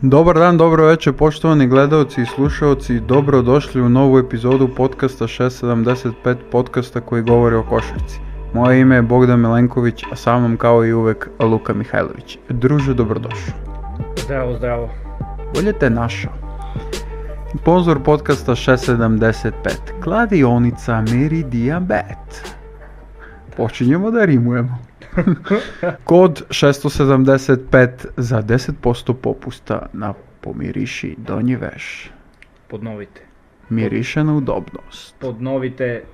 Dobar dan, dobro večer poštovani gledalci i slušalci, dobrodošli u novu epizodu podcasta 675, podcasta koji govori o košarci. Moje ime je Bogdan Milenković, a sa mnom kao i uvek Luka Mihajlović. Druže, dobrodošao. Zdravo. Bolje te našao. Sponzor podcasta 675, kladionica Meridian Bet. Počinjemo da rimujemo. Kod 675 za 10% popusta na pomiriši donji veš. Podnovite. Miriše na udobnost. Podnovite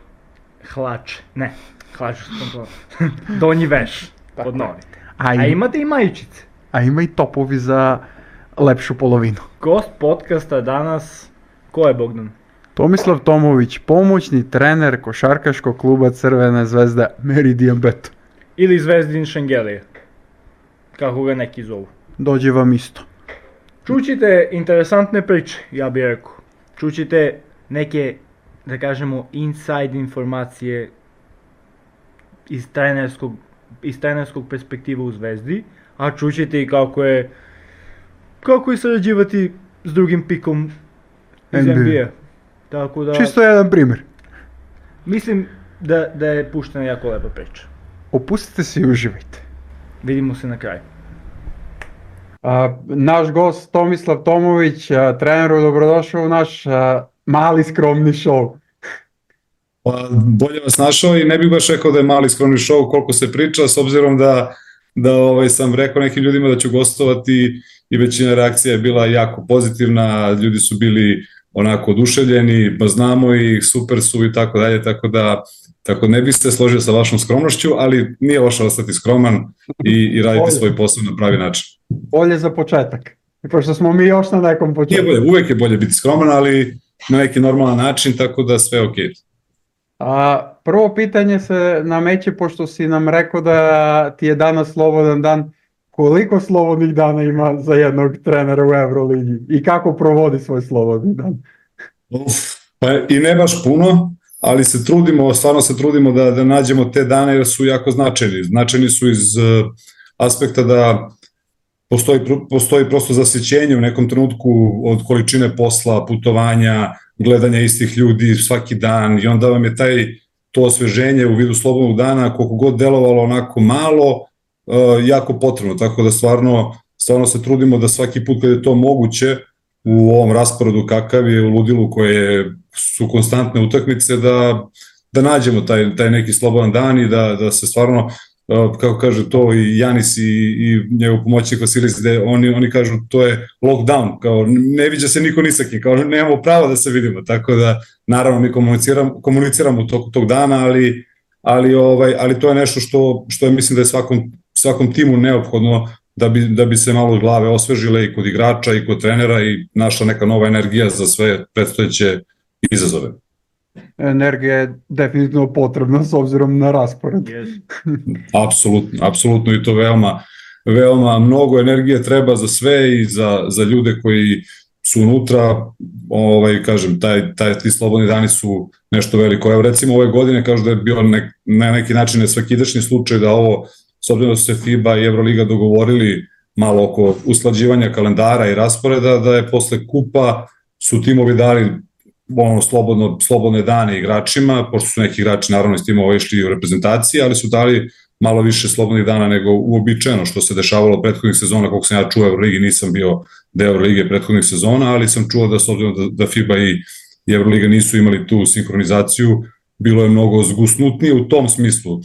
hlače. Ne, hlače su donji veš. Podnovite. A imate i majičice. A ima i topovi za lepšu polovinu. Gost podcasta danas, ko je Bogdan? Tomislav Tomović, pomoćni trener košarkaškog kluba Crvena zvezda Meridian Bet. Ili Zvezdin Šengelija, kako ga neki zovu. Dođe vam isto. Čućite interesantne priče, ja bih rekao. Čućite neke, da kažemo, inside informacije iz trenerskog perspektiva u Zvezdi, a čućite i kako je sarađivati s drugim pikom iz NBA. Tako da, čisto jedan primjer. Mislim da je puštena jako lepa priča. Opustite se i uživajte. Vidimo se na kraju. Naš gost Tomislav Tomović, treneru, dobrodošao u naš mali skromni show. Pa, bolje vas našao i ne bih baš rekao da je mali skromni show koliko se priča, s obzirom da sam rekao nekim ljudima da ću gostovati i većina reakcija je bila jako pozitivna, ljudi su bili onako oduševljeni, pa znamo ih, super su i tako dalje, tako ne bih se složio sa vašom skromnošću, ali nije loše ostati skroman i raditi svoj posao na pravi način. Bolje za početak, pošto smo mi još na nekom početku. Nije bolje, uvek je bolje biti skroman, ali na neki normalan način, tako da sve ok. Prvo pitanje se nameće, pošto si nam rekao da ti je danas slobodan dan. Koliko slobodnih dana ima za jednog trenera u Euroligi i kako provodi svoj slobodni dan? Pa i ne baš puno, ali stvarno se trudimo da nađemo te dane jer su jako značajni. Značajni su iz aspekta da postoji prosto zasjećenje u nekom trenutku od količine posla, putovanja, gledanja istih ljudi svaki dan i onda vam je to osveženje u vidu slobodnog dana, koliko god delovalo onako malo, jako potrebno, tako da stvarno se trudimo da svaki put kad je to moguće u ovom rasporedu kakav je u ludilu koje su konstantne utakmice da nađemo taj neki slobodan dan i da se stvarno, kako kaže to i Janis i njegov pomoćnik Vasilis, da oni kažu to je lockdown, kao ne viđa se niko ni sa kim, kao nemamo pravo da se vidimo, tako da naravno mi komuniciramo u toku tog dana, ali to je nešto što je mislim da je svakom timu neophodno da bi se malo glave osvežile i kod igrača i kod trenera i našla neka nova energija za sve predstojeće izazove. Energija je definitivno potrebna s obzirom na raspored. Apsolutno i to veoma mnogo energije treba za sve i za ljude koji su unutra, kažem, ti slobodni dani su nešto veliko. Evo recimo ove godine kažu da je bio na neki način nesvakidašnji slučaj da ovo, s obzirom da su se FIBA i Euroliga dogovorili malo oko usklađivanja kalendara i rasporeda, da je posle kupa su timovi dali slobodne dane igračima, pošto su neki igrači naravno iz timova išli u reprezentaciji, ali su dali malo više slobodnih dana nego uobičajeno što se dešavalo prethodnih sezona, koliko sam ja čuo Euroligi, nisam bio deo Eurolige prethodnih sezona, ali sam čuo da s obzirom da FIBA i Euroliga nisu imali tu sinhronizaciju, bilo je mnogo zgusnutnije u tom smislu.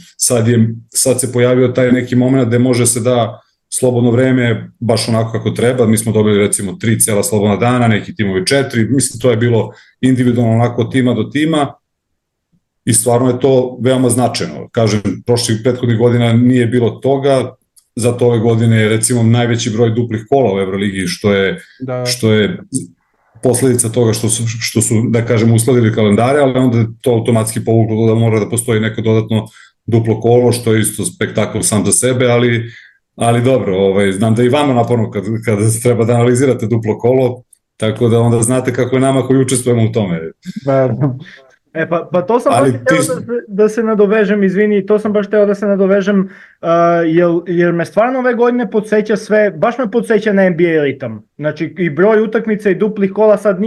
Sad se pojavio taj neki moment gde može se da slobodno vreme baš onako kako treba, mi smo dobili recimo 3 cela slobodna dana, neki timovi 4, mislim to je bilo individualno onako od tima do tima i stvarno je to veoma značajno. Kažem, prethodnih godina nije bilo toga, zato ove godine je recimo najveći broj duplih kola u Euroligi, što je posledica toga što su, da kažem, uskladili kalendare, ali onda to automatski povuklo da mora da postoji neko dodatno duplo kolo, što je isto spektakl sam za sebe, ali dobro, znam da i vama naporno kada treba da analizirate duplo kolo, tako da onda znate kako je nama koji učestvujemo u tome. Pa to sam baš htio da se nadovežem, izvini, to sam baš htio da se nadovežem, jer me stvarno ove godine podsjeća sve, baš me podsjeća na NBA ritam. Znači i broj utakmica i duplih kola sad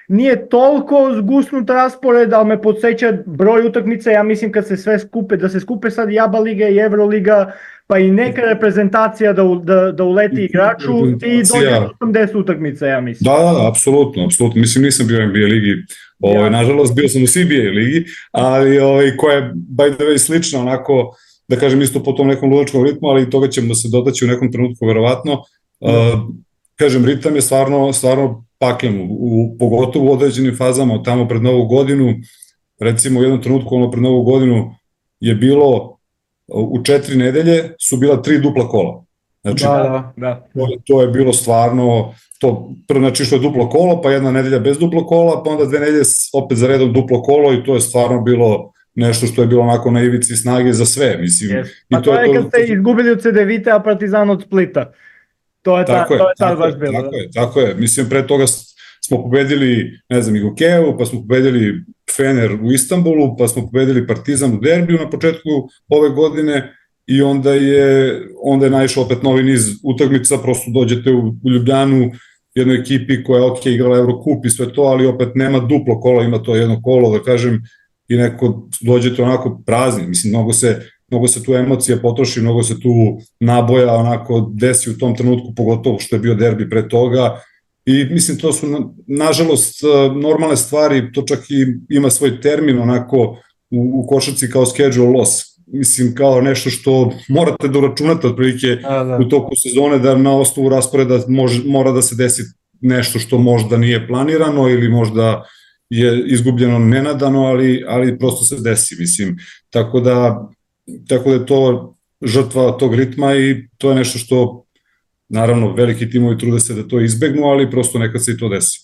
nije toliko zgusnut raspored, ali me podsjeća broj utakmica, ja mislim kad se sve skupe, da se skupe sad i ABA liga i Euroliga, pa i neka reprezentacija da uleti igraču, ti dođe 80 utakmica, ja mislim. Da, apsolutno, mislim nisam bio u NBA ligi, nažalost bio sam u CBA ligi, ali koja je by the way slična onako, da kažem isto po tom nekom ludačkom ritmu, ali toga ćemo da se dotaći u nekom trenutku verovatno. Kažem, ritam je stvarno paklen, pogotovo u određenim fazama, tamo pred Novu godinu, recimo u jednom trenutku pred Novu godinu je bilo u 4 nedelje su bila 3 dupla kola. Znači, da. To je bilo stvarno, znači što je duplo kolo, pa jedna nedelja bez duplo kola, pa onda 2 nedelje opet za redom duplo kolo i to je stvarno bilo nešto što je bilo onako na ivici snage za sve. Mislim. Yes. Pa to je kad ste izgubili od CDVita, a Partizan od Splita. To je tad baš bilo. Tako je. Mislim, pre toga smo pobedili, ne znam, i Gokeju, pa smo pobedili Fener u Istanbulu, pa smo pobedili Partizan u derbiju na početku ove godine i onda je naišao opet novi niz utakmica, prosto dođete u Ljubljanu, jednoj ekipi koja je igrala Eurocup i sve to, ali opet nema duplo kola, ima to jedno kolo, da kažem, i neko dođete onako prazni, mislim, mnogo se tu emocija potroši, mnogo se tu naboja onako desi u tom trenutku, pogotovo što je bio derbi pre toga. I mislim, to su, nažalost, normalne stvari, to čak i ima svoj termin onako u košarci kao schedule loss. Mislim, kao nešto što morate da uračunate otprilike u toku sezone, da na osnovu rasporeda mora da se desi nešto što možda nije planirano ili možda je izgubljeno nenadano, ali prosto se desi, mislim. Tako da je to žrtva tog ritma i to je nešto što naravno, veliki timovi trude se da to izbegnu, ali prosto nekad se i to desi.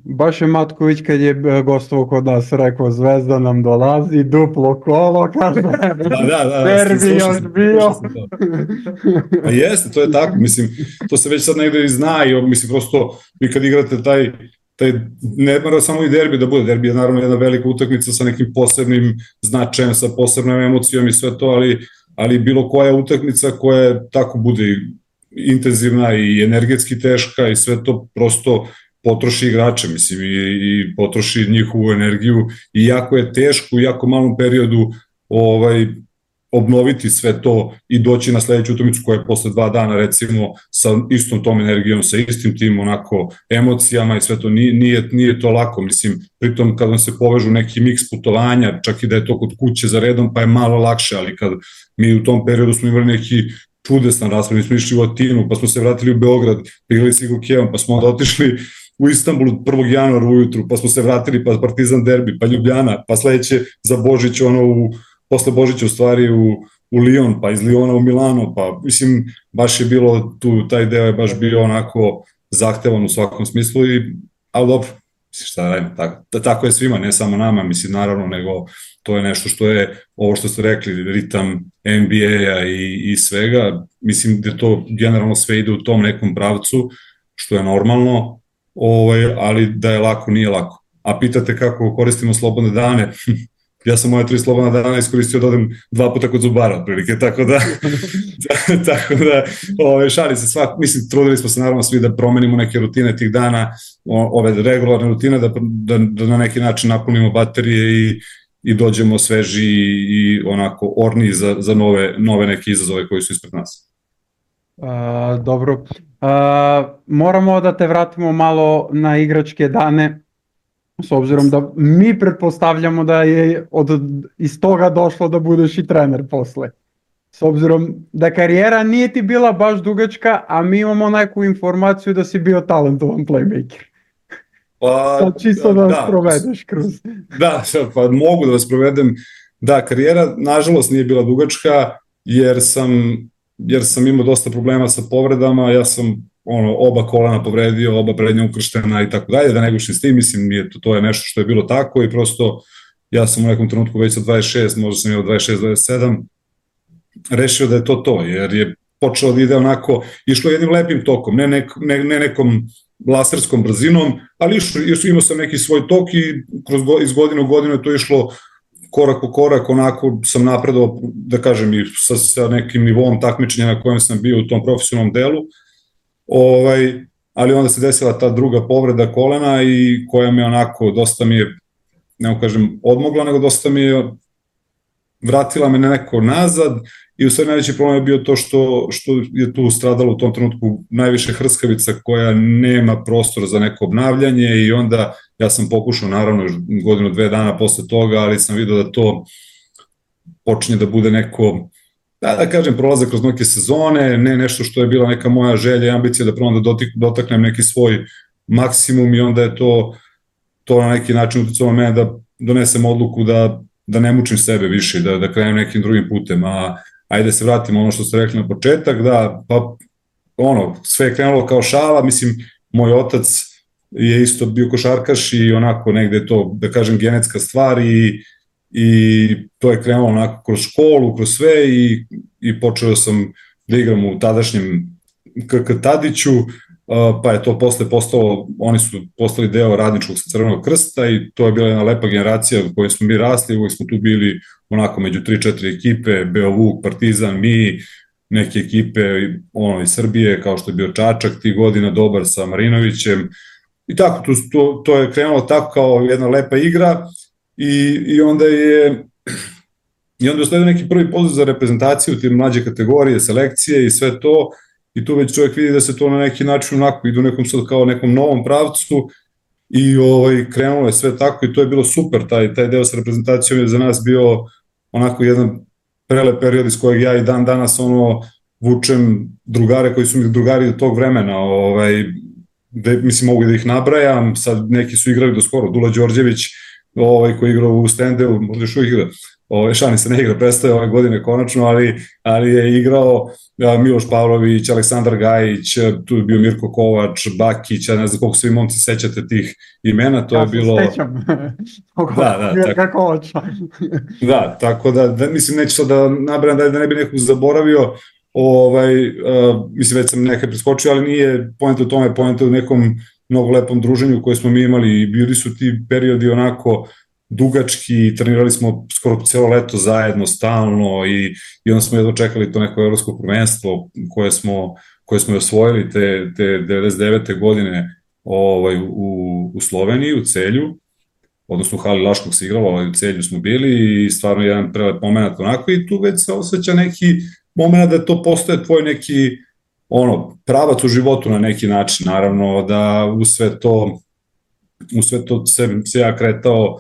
Baš je Matković kad je gostovao kod nas rekao Zvezda nam dolazi, duplo kolo, kaže, derbi još bio. A jeste, to je tako, mislim, to se već sad negde i zna i mislim, prosto vi kad igrate taj ne mora samo i derbi da bude, derbi je naravno jedna velika utakmica sa nekim posebnim značajem, sa posebnom emocijom i sve to, ali bilo koja utakmica koja tako bude intenzivna i energetski teška i sve to prosto potroši igrače, mislim, i potroši njihovu energiju i jako je teško u jako malom periodu obnoviti sve to i doći na sledeću utakmicu koja je posle 2 dana recimo sa istom tom energijom, sa istim tim onako emocijama i sve to nije to lako, mislim, pritom kad vam se povežu neki miks putovanja, čak i da je to kod kuće za redom pa je malo lakše, ali kad mi u tom periodu smo imali neki čudesan raspored, mi smo išli u Atinu, pa smo se vratili u Beograd, igrali sa Gokeom, pa smo onda otišli u Istanbulu 1. januara ujutru, pa smo se vratili, pa Partizan derbi, pa Ljubljana, pa sledeće za Božić, posle Božića u stvari u Lyon, pa iz Lyona u Milano, pa mislim, baš je bilo tu, taj deo je baš bio onako zahtevan u svakom smislu, ali dobro, šta radimo, tako je svima, ne samo nama, mislim, naravno, nego to je nešto što je, ovo što ste rekli, ritam NBA-a i svega, mislim da to generalno sve ide u tom nekom pravcu, što je normalno, ali da je lako, nije lako. A pitate kako koristimo slobodne dane, ja sam moje 3 slobodna dana iskoristio da odem 2 puta kod zubara, otprilike, tako da šali se svak, mislim, trudili smo se naravno svi da promenimo neke rutine tih dana, ove regularne rutine, da na neki način napunimo baterije i dođemo sveži i onako orni za nove neke izazove koji su ispred nas. Dobro, moramo da te vratimo malo na igračke dane, s obzirom da mi pretpostavljamo da je iz toga došlo da budeš i trener posle. S obzirom da karijera nije ti bila baš dugačka, a mi imamo neku informaciju da si bio talentovan playmaker. Pa čisto da vas provedeš kroz. Da, pa mogu da vas provedem. Da, karijera nažalost nije bila dugačka jer sam imao dosta problema sa povredama, ja sam oba kolena povredio, oba prednja ukrštena i tako dalje, da ne gušim s tim, mislim, to je nešto što je bilo tako i prosto ja sam u nekom trenutku već sa 26, možda sam imao 26-27, rešio da je to, jer je počelo da ide onako, išlo jednim lepim tokom, ne nekom laserskom brzinom, ali imao sam neki svoj tok i iz godine u godinu je to išlo korak po korak, onako sam napredao, da kažem, i sa nekim nivom takmičenja na kojem sam bio u tom profesionalnom delu, ali onda se desila ta druga povreda kolena i koja me onako, dosta mi je, ne kažem, odmogla, nego dosta mi je vratila me neko nazad i u sve najveći problem je bio to što je tu stradalo u tom trenutku najviše hrskavica koja nema prostora za neko obnavljanje i onda ja sam pokušao naravno godinu, 2 dana posle toga, ali sam vidio da to počinje da bude neko, da kažem, prolazak kroz neke sezone, ne nešto što je bila neka moja želja i ambicija da prvo da dotaknem neki svoj maksimum i onda je to na neki način uticalo mene da donesem odluku da ne mučim sebe više, da krenem nekim drugim putem, a ajde se vratimo ono što ste rekli na početak, da, pa sve je krenulo kao šala, mislim, moj otac je isto bio košarkaš i onako negde je to, da kažem, genetska stvar i to je krenulo onako kroz školu, kroz sve i počeo sam da igram u tadašnjem KK Tadiću, pa je to posle postalo, oni su postali deo Radničkog Crvenog krsta i to je bila jedna lepa generacija u kojoj smo mi rasli, uvijek smo tu bili onako među 3-4 ekipe, Beovuk, Partizan, mi, neke ekipe iz Srbije, kao što je bio Čačak tih godina, dobar sa Marinovićem i tako, to je krenulo tako kao jedna lepa igra i onda je usledio neki prvi poziv za reprezentaciju, te mlađe kategorije, selekcije i sve to. I tu već čovjek vidi da se to na neki način onako ide u nekom sad kao nekom novom pravcu i krenulo je sve tako i to je bilo super, taj deo sa reprezentacijom je za nas bio onako jedan prelep period iz kojeg ja i dan danas vučem drugare koji su mi drugari do tog vremena, mislim mogu da ih nabrajam, sad neki su igrali do skoro, Dula Đorđević koji je igrao u Stendeu, možda još uvijek igra, Šani se ne igra, prestaje ove godine konačno, ali je igrao Miloš Pavlović, Aleksandar Gajić, tu je bio Mirko Kovač, Bakić, ja ne znam koliko se vi momci sećate tih imena, to je bilo... Ja se sećam, Mirka Kovača. Da, tako da, mislim, neću sad da nabrajam da ne bi nekog zaboravio, mislim, već sam nekaj preskočio, ali nije poenta u tome, poenta u nekom mnogo lepom druženju koje smo mi imali i bili su ti periodi onako dugački, trenirali smo skoro celo leto zajedno, stalno i onda smo jedno čekali to neko evropsko prvenstvo koje smo osvojili te 99. godine u Sloveniji, u Celju, odnosno u hali Laškog se igralo, ali u Celju smo bili i stvarno jedan prelep moment onako i tu već se osjeća neki moment da to postaje tvoj neki pravac u životu na neki način, naravno da u sve to se ja kretao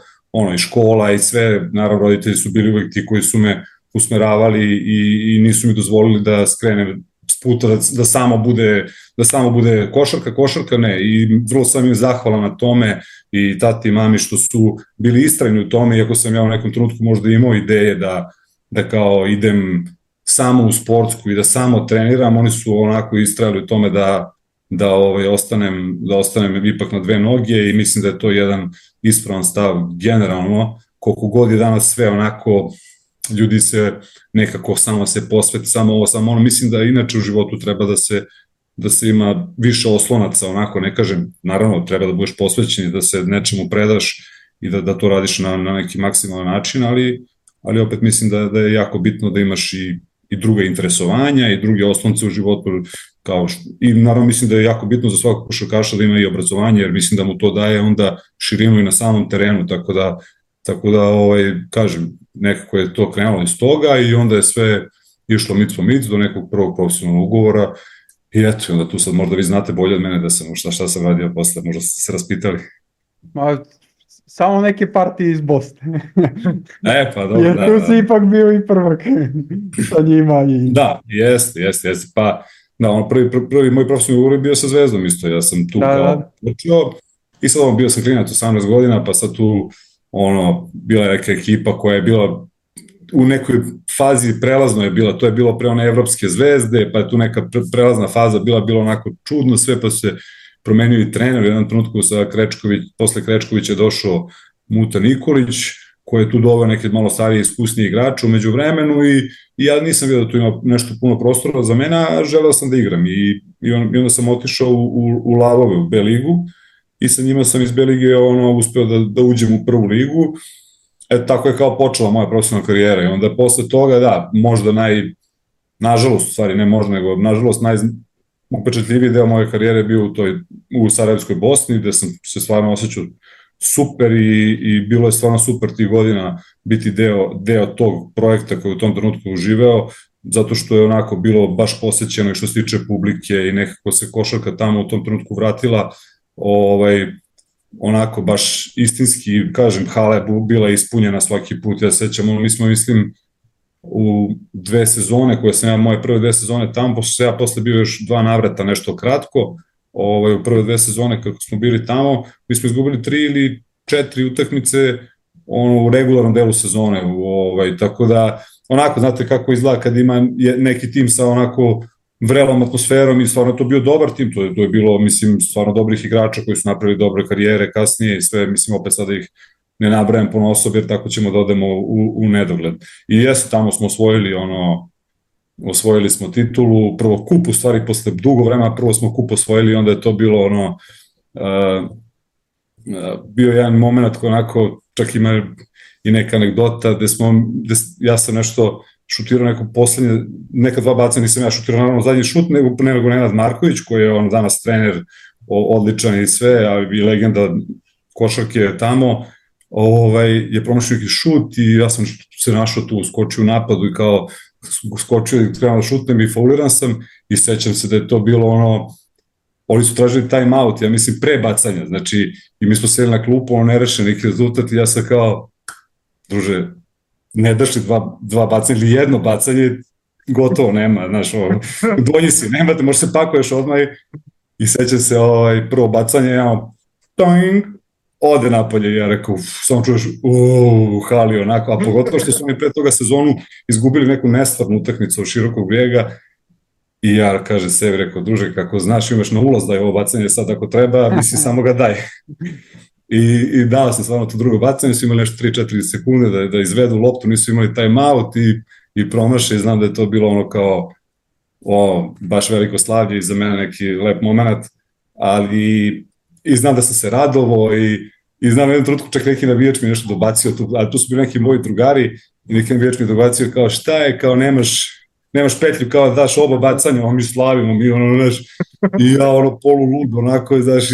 i škola i sve, naravno roditelji su bili uvek ti koji su me usmeravali i nisu mi dozvolili da skrenem s puta, da samo bude košarka ne, i vrlo sam im zahvalan na tome i tati i mami što su bili istrajni u tome, iako sam ja u nekom trenutku možda imao ideje da kao idem samo u sportsku i da samo treniram, oni su onako istrajali u tome da ostanem ipak na 2 noge i mislim da je to jedan ispravan stav generalno, koliko god je danas sve onako, ljudi se nekako samo se posveti, samo ono, mislim da inače u životu treba da se ima više oslonaca, onako, ne kažem, naravno treba da budeš posvećen i da se nečemu predaš i da to radiš na neki maksimalan način, ali opet mislim da je jako bitno da imaš i druga interesovanja i druge oslonce u životu, i naravno mislim da je jako bitno za svakog košarkaša da ima i obrazovanje, jer mislim da mu to daje onda širinu i na samom terenu, tako da kažem, nekako je to krenulo iz toga i onda je sve išlo mic po mic do nekog prvog profesionalnog ugovora i eto, onda tu sad možda vi znate bolje od mene da sam šta sam radio posle, možda ste se raspitali. Samo neke partije iz Bosne. Pa dobro, jer tu si ipak bio i prvak sa njima. Da, jeste. Pa, da, prvi moj profesionalni ugovor je bio sa Zvezdom isto, ja sam tu kao učio i sad bio sam klinac 18 godina, pa sad tu bila je neka ekipa koja je bila u nekoj fazi prelazno je bila, to je bilo pre one Evropske zvezde, pa je tu neka prelazna faza bilo onako čudno sve, pa se promenio i trener, u jednom trenutku posle Krečkovića je došao Muta Nikolić, koje je tu doveo neke malo starije iskusnije igrače u međuvremenu i ja nisam vidio da tu ima nešto puno prostora za mene, a želeo sam da igram i onda sam otišao u Lavove, u B ligu i sa njima sam iz B lige uspeo da uđem u prvu ligu. Tako je kao počela moja profesionalna karijera i onda posle toga, da, možda nažalost, u stvari ne možda, nego nažalost najupečatljiviji deo moje karijere bio u Sarajevskoj Bosni, gde sam se stvarno osjećao super i bilo je stvarno super tih godina biti deo tog projekta koji u tom trenutku uživeo, zato što je onako bilo baš posećeno i što se tiče publike i nekako se košarka tamo u tom trenutku vratila, onako baš istinski, kažem, hala je bila ispunjena svaki put, ja sećam, mi smo, mislim, u 2 sezone koje sam moje prve 2 sezone tamo, pošto sam ja posle bio još 2 navrata nešto kratko, u prve 2 sezone kako smo bili tamo, mi smo izgubili 3 ili 4 utakmice u regularnom delu sezone, tako da, onako, znate kako izgleda kad ima neki tim sa onako vrelom atmosferom i stvarno to bio dobar tim, to je bilo, mislim, stvarno dobrih igrača koji su napravili dobre karijere kasnije i sve, mislim, opet sada ih ne nabrajam puno osob jer tako ćemo da odemo u nedogled. I jesu, tamo smo osvojili smo titulu, prvo kup u stvari posle dugo vremena, prvo smo kup osvojili i onda je to bilo bio jedan moment koji onako, čak ima i neka anegdota gde ja sam nešto šutirao neko poslednje, neka 2 bacanja nisam ja šutirao, naravno zadnji šut, nego Nenad Marković koji je danas trener odličan i sve, a i legenda košarke tamo, je promašio neki šut i ja sam se našao tu, skočio u napadu i kao skočio i krenuo da šutnem i fauliran sam i sećam se da je to bilo oni su tražili time out, ja mislim pre bacanja, znači i mi smo seli na klupu, nerešen neki rezultat i ja sam kao, druže, ne daš li 2 bacanja ili 1 bacanje, gotovo nema, znaš, donji si, nemate, možeš se pakuješ odmah i sećam se prvo bacanje, toing, ode napolje i ja rekao, samo čuješ, hali onako, a pogotovo što su oni pre toga sezonu izgubili neku nestvarnu utakmicu od Širokog Brijega i ja kaže sebi, rekao, druže, kako znaš, imaš na ulaz da je ovo bacanje sad ako treba, misli samo ga daj. I dao sam stvarno to drugo bacanje, su imali nešto 3-4 sekunde da izvedu loptu, nisu imali time out i promaše i znam da je to bilo kao baš veliko slavlje i za mene neki lep moment, ali i znam da sam se radovo i znam jednom trenutku čak neki navijač mi nešto dobacio, ali tu su bili neki moji drugari i neki navijač mi dobacio kao šta je, kao nemaš petlju, kao daš oba bacanja, mi slavimo, mi znaš, i ja polu lud, onako, znaš,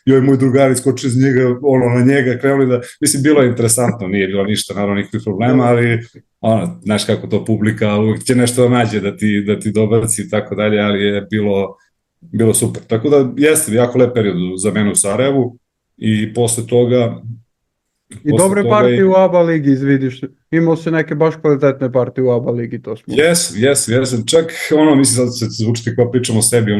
i ovaj moj drugar iskočio iz njega, na njega, krenuli da, mislim, bilo je interesantno, nije bilo ništa, naravno, nikakvih problema, ali, znaš kako to publika, uvijek će nešto da nađe da ti dobaci i tako dalje, ali je bilo super. Tako da, jeste jako lep period za mene u Sarajevu i posle toga... I dobre partije u ABA ligi, izvidiš, imao se neke baš kvalitetne partije u ABA ligi, to smo... Jes, čak, mislim, sad se zvučite kao pričamo o sebi,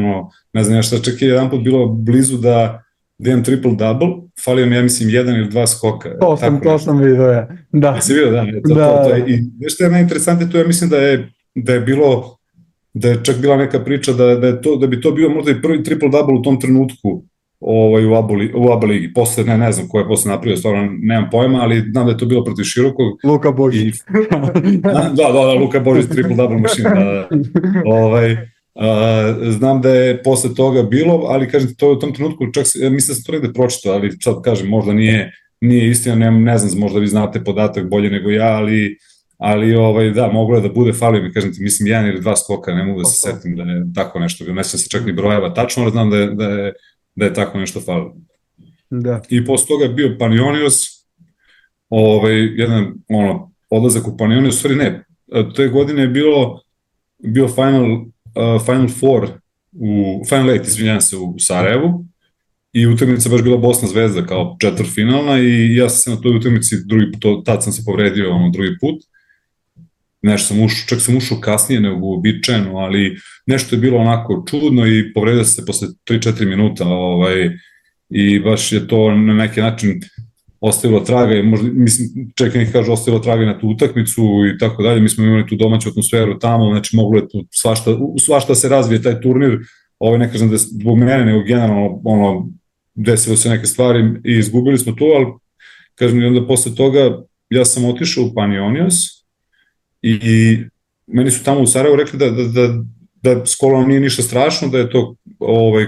ne znam šta, čak je jedan put bilo blizu da imam triple-double, falio mi, ja mislim, 1 ili 2 skoka. To sam vidio, ja. Da. Jesi vidio, da. I nešto je najinteresantnije, to ja mislim da je bilo, da je čak bila neka priča da bi to bio možda i prvi triple-double u tom trenutku u ABA ligi. Posle, ne znam ko je posle napravio, stvarno nemam pojma, ali znam da je to bilo protiv Širokog. Luka Božić. Da, Luka Božić, triple-double mašina. Znam da je posle toga bilo, ali kažem, to je u tom trenutku, čak mislim da sam to negde pročitao, ali sad kažem, možda nije istina, ne znam, možda vi znate podatak bolje nego ja, ali da, moglo je da bude, falio mi, kažem ti, mislim, 1 ili 2 skoka, ne mogu da se setim da je tako nešto bilo, ne sjećam se čak ni brojeva tačno, ali znam da je tako nešto falilo. Da. I posle toga je bio Panionios, jedan odlazak u Panionios, stvari ne, te godine je bio Final Four, Final Eight, izvinjam se, u Sarajevu i utakmica baš bila Bosna Zvezda kao četvrtfinalna i ja sam se na toj utakmici tad sam se povredio drugi put, čak sam ušao kasnije nego uobičajeno, ali nešto je bilo onako čudno i povredio se posle 3-4 minuta i baš je to na neki način ostavilo traga i možda, mislim, čak neki kažu ostavilo traga na tu utakmicu i tako dalje, mi smo imali tu domaću atmosferu tamo, znači moglo je tu svašta se razvije taj turnir, ne kažem da je zbog mene, nego generalno desilo se neke stvari i izgubili smo tu, ali kažem i onda posle toga ja sam otišao u Panionios i meni su tamo u Sarajevu rekli da s kolonom nije ništa strašno, da je to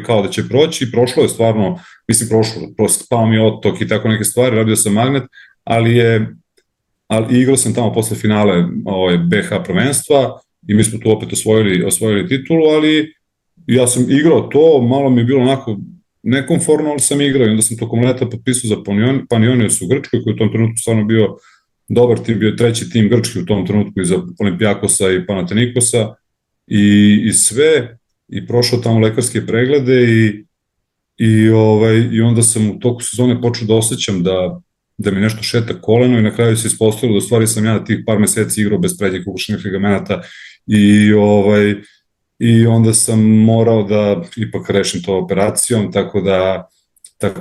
kao da će proći, prošlo je stvarno, mislim prosto pao mi otok i tako neke stvari, radio sam magnet, ali igrao sam tamo posle finale BH prvenstva i mi smo tu opet osvojili titulu, ali ja sam igrao to, malo mi je bilo onako nekomforno, ali sam igrao i onda sam tokom leta potpisao za Panionios u Grčkoj, koji je u tom trenutku stvarno bio dobar tim, bio treći tim Grčki u tom trenutku iza Olimpijakosa i Panatenikosa i sve, i prošao tamo lekarske preglede i onda sam u toku sezone počeo da osjećam da mi nešto šeta koleno i na kraju se ispostavilo da u stvari sam ja tih par meseci igrao bez prednjih ugušenih ligamenata i onda sam morao da ipak rešim to operacijom, tako da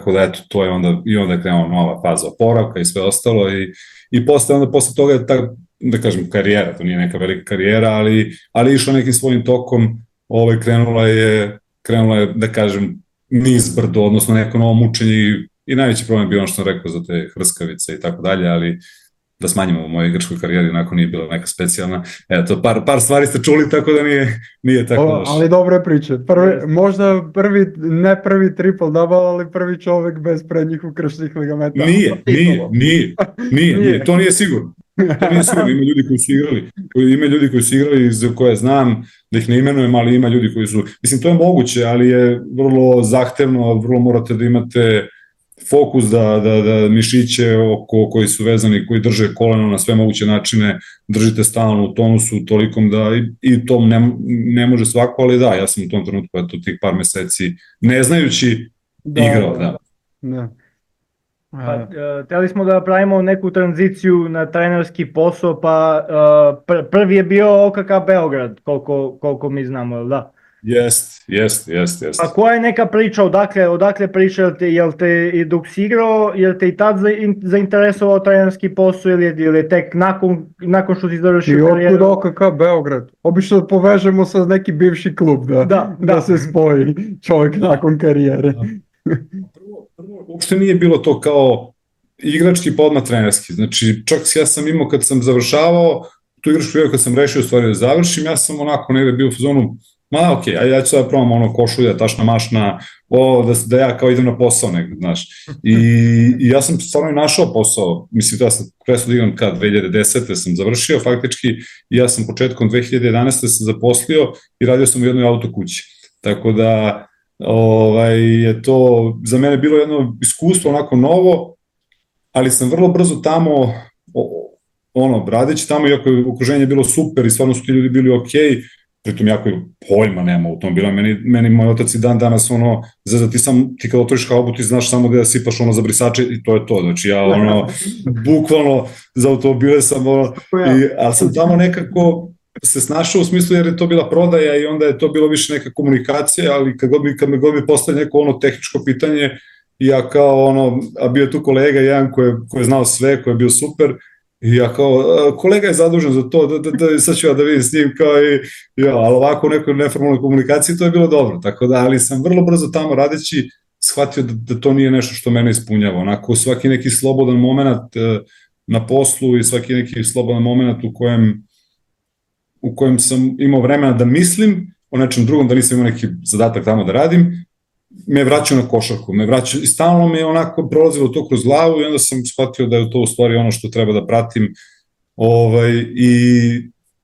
eto, to je onda je krenula nova faza oporavka i sve ostalo i posle toga je da kažem karijera, to nije neka velika karijera, ali išla nekim svojim tokom, krenula je da kažem niz brdo, odnosno neko novo mučenje i najveći problem je bio ono što sam rekao za te hrskavice i tako dalje, ali da smanjimo u mojoj igračkoj karijeri, onako nije bila neka specijalna. Eto, par stvari ste čuli, tako da nije tako loše. Ali dobre priče. Možda ne prvi triple-double, ali prvi čovek bez prednjih ukrštenih ligamenta. Nije. To nije sigurno. Ima ljudi koji su igrali za koje znam, da ih ne imenujem, ali ima ljudi koji su... Mislim, to je moguće, ali je vrlo zahtevno, vrlo morate da imate fokus da mišiće koji su vezani, koji drže koleno na sve moguće načine, držite stalno u tonusu tolikom da i to ne može svako, ali da, ja sam u tom trenutku eto tih par meseci ne znajući igrao, da. Pa, hteli smo da pravimo neku tranziciju na trenerski posao, pa prvi je bio OKK Beograd, koliko mi znamo, jel da? Jeste. A koja je neka priča, odakle priča, jel te i dok si igrao, jel te i tad zainteresovao trenerski posao ili je tek nakon što si završio karijeru? I otkud OKK Beograd? Obično povežemo sa neki bivši klub da se spoji čovjek nakon karijere. Prvo, uopšte nije bilo to kao igrački pa odmah trenerski. Znači, čak ja sam imao kad sam završavao tu igračku kad sam rešio stvari da završim, ja sam onako negde bio u fazonu okej, ja ću sada probam košulja, tašna mašna, da ja kao idem na posao negde, znaš. I ja sam stvarno i našao posao, mislim, ja sam presao da igram 2010. sam završio faktički i ja sam početkom 2011. sam zaposlio i radio sam u jednoj autokući. Tako da je to za mene bilo jedno iskustvo onako novo, ali sam vrlo brzo tamo, radeći tamo, iako je okruženje bilo super i stvarno su ti ljudi bili okej, pritom jako pojma nema automobila, meni moj otac i dan danas ti kad otvoriš haubu ti znaš samo da sipaš za brisače i to je to, znači ja bukvalno za automobile sam ali sam tamo nekako se snašao u smislu jer je to bila prodaja i onda je to bilo više neka komunikacija, ali kad me god mi postaje neko tehničko pitanje, ja kao a bio je tu kolega jedan koji je znao sve, koji je bio super, i ja kao, kolega je zadužen za to, sad ću ja da vidim s njim, ali ovako u nekoj neformalnoj komunikaciji to je bilo dobro, tako da, ali sam vrlo brzo tamo radeći shvatio da to nije nešto što mene ispunjava, onako svaki neki slobodan moment na poslu i svaki neki slobodan moment u kojem sam imao vremena da mislim o nečem drugom, da nisam imao neki zadatak tamo da radim, me vraćao na košarku, i stalno me onako prolazilo to kroz glavu i onda sam shvatio da je to u stvari ono što treba da pratim i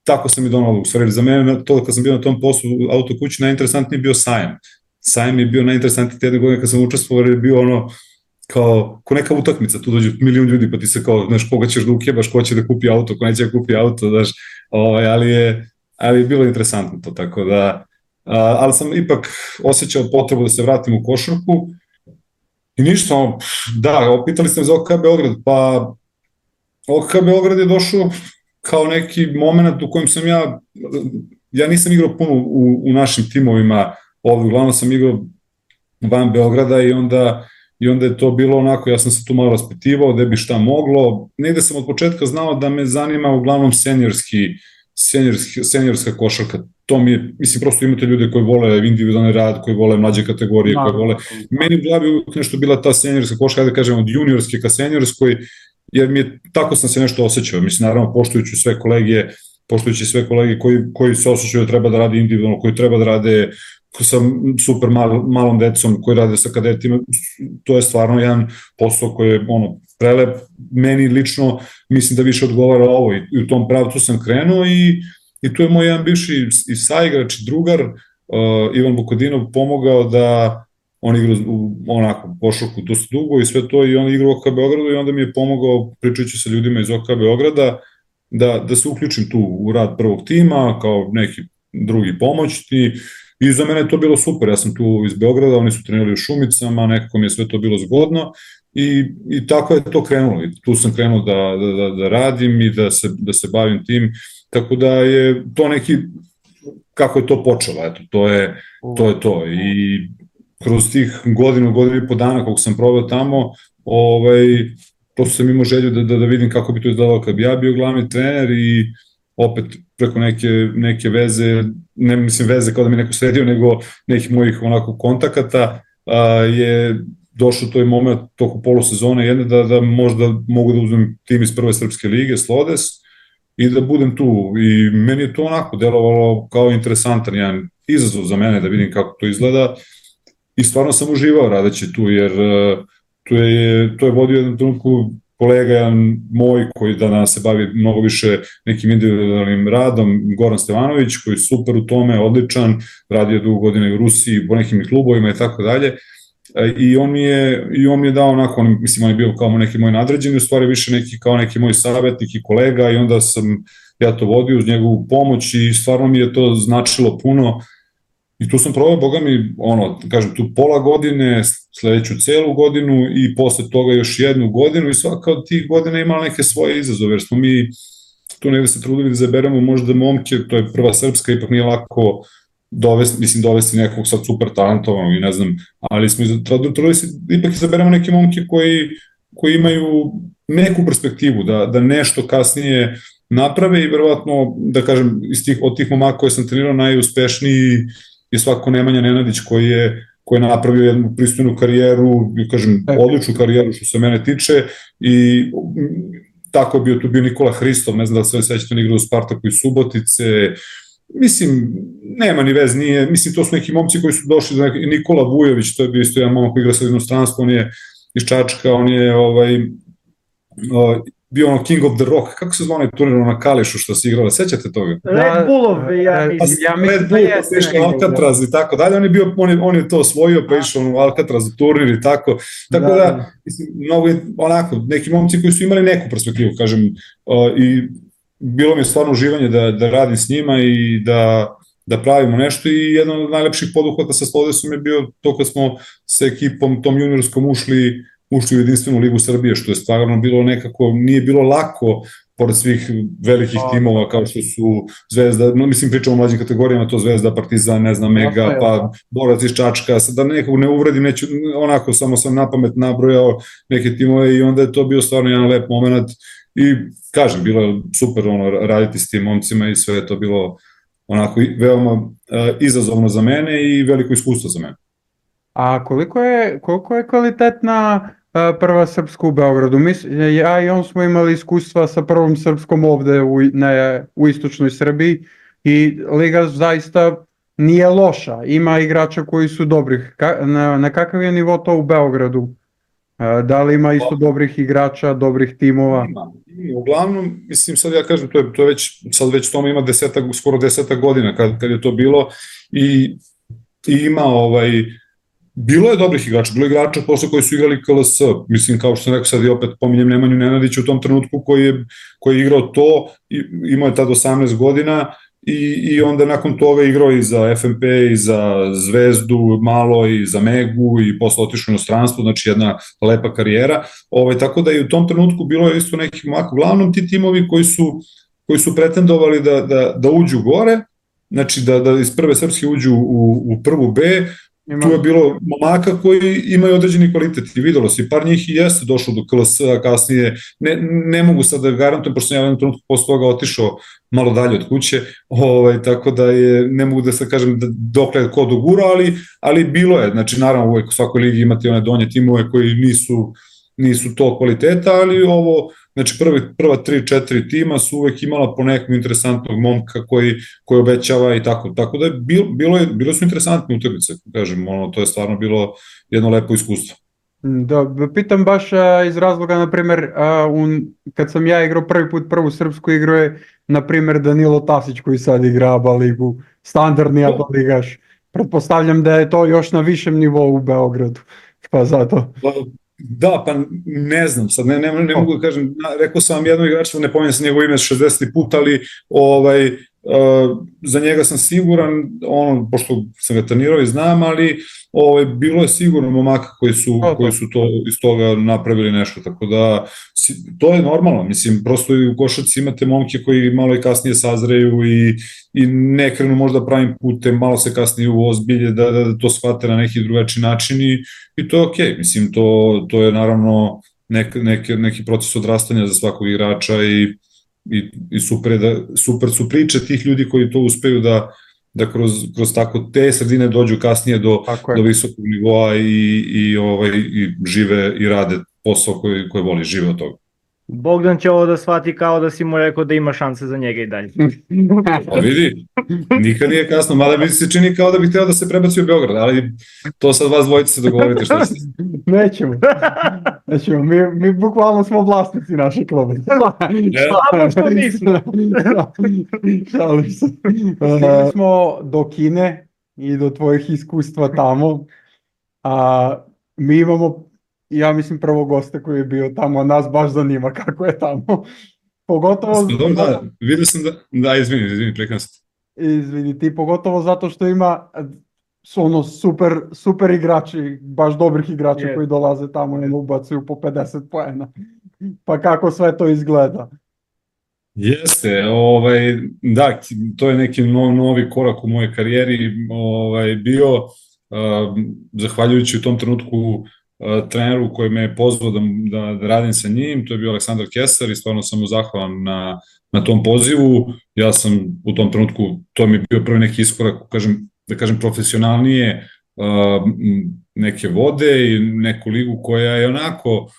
tako sam i donalo, u stvari za mene to kad sam bio na tom poslu u autokući najinteresantniji bio sajam. Sajam je bio najinteresantniji jedne godine kad sam učestvovao jer je bio kao neka utakmica, tu dođu milion ljudi pa ti se kao, znaš, koga ćeš da ukebaš, ko će da kupi auto, ko neće da kupi auto, znaš, ali je bilo interesantno to, tako da ali sam ipak osjećao potrebu da se vratim u košarku i ništa, opitali ste me za OKK Beograd, pa OKK Beograd je došao kao neki moment u kojem sam ja nisam igrao puno u našim timovima, uglavnom sam igrao van Beograda i onda je to bilo onako, ja sam se tu malo raspitivao gde bi šta moglo, negde sam od početka znao da me zanima uglavnom seniorska košarka, to mi je, mislim, prosto imate ljude koji vole individualni rad, koji vole mlađe kategorije, koji vole, meni u glavi uvijek nešto bila ta seniorska košarka, da kažem, od juniorske ka seniorskoj, jer tako sam se nešto osjećao, mislim, naravno, poštujući sve kolege koji se osjećaju da treba da rade individualno, koji treba da rade sa super malom decom, koji rade sa kadetima, to je stvarno jedan posao koji je prelep. Meni lično mislim da više odgovara ovo i u tom pravcu sam krenuo i tu je moj jedan bivši i saigrač i drugar, Ivan Vukadinov, pomogao da on igra onako košarku dosta dugo i sve to, i on igra u OK Beogradu i onda mi je pomogao, pričajući sa ljudima iz OK Beograda, da se uključim tu u rad prvog tima kao neki drugi pomoćni, i za mene je to bilo super. Ja sam tu iz Beograda, oni su trenirali u Šumicama, nekako mi je sve to bilo zgodno i tako je to krenulo. I tu sam krenuo da radim i da se bavim tim, tako da je to neki, kako je to počelo, eto, to je to. I kroz tih godinu i po dana koliko sam proveo tamo, prosto sam imao želju da vidim kako bi to izgledalo kad bi ja bio glavni trener, i opet preko neke veze, ne mislim veze kao da mi neko sredio, nego nekih mojih onako kontakata, je došao to je moment toko polusezone jedne da možda mogu da uzmem tim iz prve srpske lige, Slodes, i da budem tu. I meni je to onako delovalo kao interesantan jedan izazov za mene da vidim kako to izgleda, i stvarno sam uživao radeći tu, jer to je vodio jednom trenutku kolega jedan moj koji danas se bavi mnogo više nekim individualnim radom, Goran Stevanović, koji je super u tome, odličan, radio dugo godine u Rusiji, po nekim klubovima i tako dalje. I on mi je dao onako, mislim, on je bio kao neki moj nadređeni, u stvari više kao neki moj savjetnik i kolega, i onda sam ja to vodio uz njegovu pomoć i stvarno mi je to značilo puno. I tu sam probao, boga mi, kažem, tu pola godine, sledeću celu godinu i posle toga još jednu godinu, i svaka od tih godina imala neke svoje izazove, jer smo mi tu negde se trudili da zaberemo možda momke, to je prva srpska, ipak nije lako dovesti nekog sad super talentovanog i ne znam, ali smo trudili se ipak izaberemo neke momke koji imaju neku perspektivu, da nešto kasnije naprave, i verovatno, da kažem, od tih momaka koje sam trenirao, najuspešniji je svako Nemanja Nenadić, koji je napravio jednu pristojnu karijeru, kažem, odličnu karijeru što se mene tiče, i tako je bio Nikola Hristov, ne znam da li sve sećate, on igra u Spartaku iz Subotice, mislim, nema ni vez, nije, mislim, to su neki momci koji su došli, Nikola Vujović, to je bio isto jedan momak koji igra sa inostranstvo, on je iz Čačka, on je bio King of the Rock, kako se zvao turnir na Kališu što se igrala, sećate toga? Red Bullov, ja mislim. Red Bull, pa se išao Alcatraz i tako dalje, on je to osvojio, pa išao u Alcatraz turnir i tako da, mislim, mnogo onako, neki momci koji su imali neku perspektivu, kažem, i bilo mi je stvarno uživanje da radim s njima i da pravimo nešto, i jedan od najlepših poduhvata sa Slodesom je bio to kad smo sa ekipom tom juniorskom ušli u jedinstvenu ligu Srbije, što je stvarno bilo nekako, nije bilo lako, pored svih velikih timova kao što su Zvezda, mislim, pričamo o mlađim kategorijama, to Zvezda, Partizan, ne znam, Mega, pa Borac iz Čačka, da nekog ne uvredim, neću, onako, samo sam napamet nabrojao neke timove, i onda je to bio stvarno jedan lep moment, i kažem, bilo je super raditi s tim momcima, i sve je to bilo onako veoma izazovno za mene i veliko iskustvo za mene. A koliko je kvalitetna prva srpska u Beogradu? Ja i on smo imali iskustva sa prvom srpskom ovde u istočnoj Srbiji, i liga zaista nije loša, ima igrača koji su dobrih. Na kakav je nivo to u Beogradu? Da li ima isto dobrih igrača, dobrih timova? Ima. Uglavnom, mislim, sad ja kažem, to je već tome ima skoro 10 godina kad je to bilo, i ima bilo je dobrih igrača, bilo je igrača posle koji su igrali KLS, mislim, kao što sam rekao, sad i opet pominjem Nemanju Nenadića u tom trenutku koji je igrao to, imao je tad 18 godina, i onda nakon toga igrao i za FNP, i za Zvezdu malo, i za Megu, i posle otišao u inostranstvo, znači jedna lepa karijera, tako da i u tom trenutku bilo je isto nekih mako, uglavnom ti timovi koji su pretendovali da uđu gore, znači da iz prve srpske uđu u prvu B. Tu je bilo momaka koji imaju određeni kvalitet, i videlo se, par njih i jeste došlo do KLS-a kasnije, ne mogu sad da garantujem, pošto sam ja u jednom trenutku posle toga otišao malo dalje od kuće, tako da ne mogu da se kažem dokle ko dogura, ali bilo je, znači naravno uvek u svakoj ligi imate one donje timove koji nisu to kvaliteta, ali ovo, znači prva 3-4 tima su uvek imala po nekog interesantnog momka koji obećava i tako da je bilo su interesantne utakmice, kažem, to je stvarno bilo jedno lepo iskustvo. Da, pitam baš iz razloga, na primjer, kad sam ja igrao prvi put prvu srpsku igru je, na primjer, Danilo Tasić koji sad igra ABA ligu, standardni ABA ligaš. Pretpostavljam da je to još na višem nivou u Beogradu, pa zato. Da, pa ne znam, sad ne mogu da kažem, rekao sam vam jedno igrača, ne pominjem se njegovo ime 60. put, ali za njega sam siguran, pošto sam ga trenirao i znam, ali bilo je sigurno momaka koji su to iz toga napravili nešto, tako da to je normalno, mislim, prosto u košarci imate momke koji malo i kasnije sazreju i ne krenu možda pravim putem, malo se kasnije ozbilje da to shvate na neki drugačiji način i to je okej, mislim, to je naravno neki proces odrastanja za svakog igrača i super su priče tih ljudi koji to uspeju da kroz tako te sredine dođu kasnije do visokog nivoa i žive i rade posao koji voli, žive od toga. Bogdan će ovo da shvati kao da si mu rekao da ima šanse za njega i dalje. Pa vidi, nikad nije kasno, mada mi se čini kao da bih hteo da se prebaci u Beograd, ali to sad vas dvojice se dogovorite šta se... Nećemo, mi bukvalno smo vlasnici naše kluba. Samo što nismo. Šalim se. Stigli smo do Kine i do tvojih iskustva tamo, a mi imamo, ja mislim, prvo gosta koji je bio tamo, a nas baš zanima kako je tamo. Pogotovo... Da, vidio sam da, izvini, prekam se. Izvini, ti pogotovo zato što ima super igrači, baš dobrih igrača koji dolaze tamo i ubacuju po 50 poena. Pa kako sve to izgleda? Jeste, da, to je neki novi korak u mojoj karijeri bio, zahvaljujući u tom trenutku treneru koji me je pozvao da radim sa njim, to je bio Aleksandar Kesar i stvarno sam mu zahvalan na tom pozivu. Ja sam u tom trenutku, to mi je bio prvi neki iskorak, da kažem profesionalnije, neke vode i neku ligu koja je onako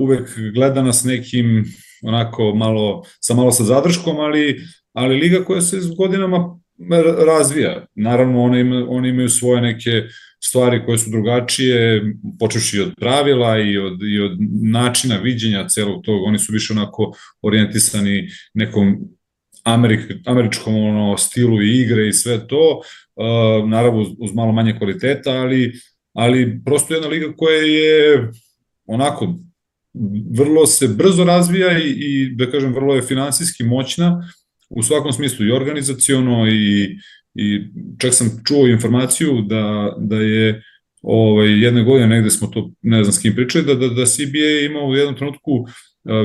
uvek gledana s nekim onako malo sa zadrškom, ali liga koja se s godinama razvija. Naravno, oni imaju svoje neke stvari koje su drugačije, počevši od pravila i od načina viđenja celog tog. Oni su više onako orijentisani nekom američkom stilu i igre i sve to, naravno uz malo manje kvaliteta, ali prosto jedna liga koja je onako vrlo se brzo razvija i da kažem vrlo je finansijski moćna u svakom smislu i organizaciono i čak sam čuo informaciju da je jedne godine, negde smo to, ne znam s kim pričali, da CBA ima u jednom trenutku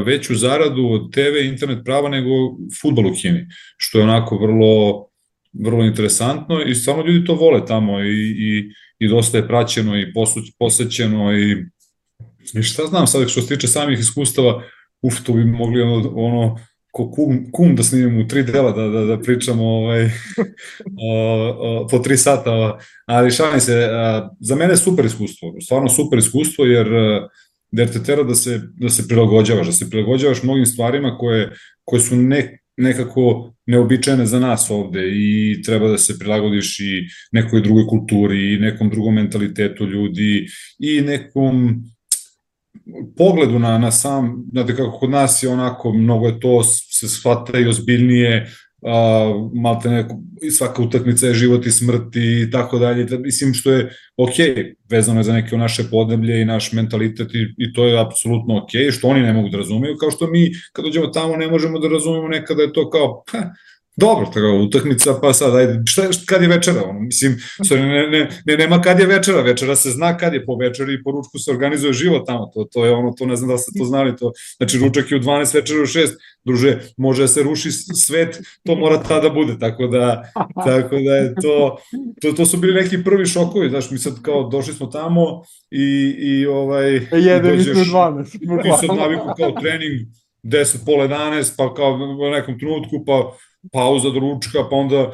veću zaradu od TV i internet prava nego fudbal u Kini, što je onako vrlo interesantno i stvarno ljudi to vole tamo i dosta je praćeno i posećeno i šta znam sad što se tiče samih iskustava, to bi mogli ko kum da snimimo u 3 dela da pričamo po 3 sata, ali šalim se, za mene je super iskustvo, stvarno super iskustvo jer te tera da se prilagođavaš mnogim stvarima koje su nekako neobičajene za nas ovde i treba da se prilagodiš i nekoj drugoj kulturi i nekom drugom mentalitetu ljudi i nekom pogledu na sam, znate kako kod nas je onako, mnogo je to, se shvata i ozbiljnije, malte neko, svaka utakmica je život i smrt i tako dalje, mislim što je okej, vezano je za neke naše podneblje i naš mentalitet i to je apsolutno okej, što oni ne mogu da razumeju, kao što mi kad dođemo tamo ne možemo da razumemo nekada je to kao, dobro, tako, utakmica, pa sad, ajde, kad je večera, mislim, nema kad je večera, večera se zna kad je po večeri i po ručku se organizuje život tamo, to je to ne znam da ste to znali, znači ručak je u 12, večera u 6, druže, može da se ruši svet, to mora tada bude, tako da je to su bili neki prvi šokovi, znaš, mi sad kao došli smo tamo i jedan i 12, i sad naviku kao trening, 10, pola 11, pa kao u nekom trenutku, pa pauza do ručka, pa onda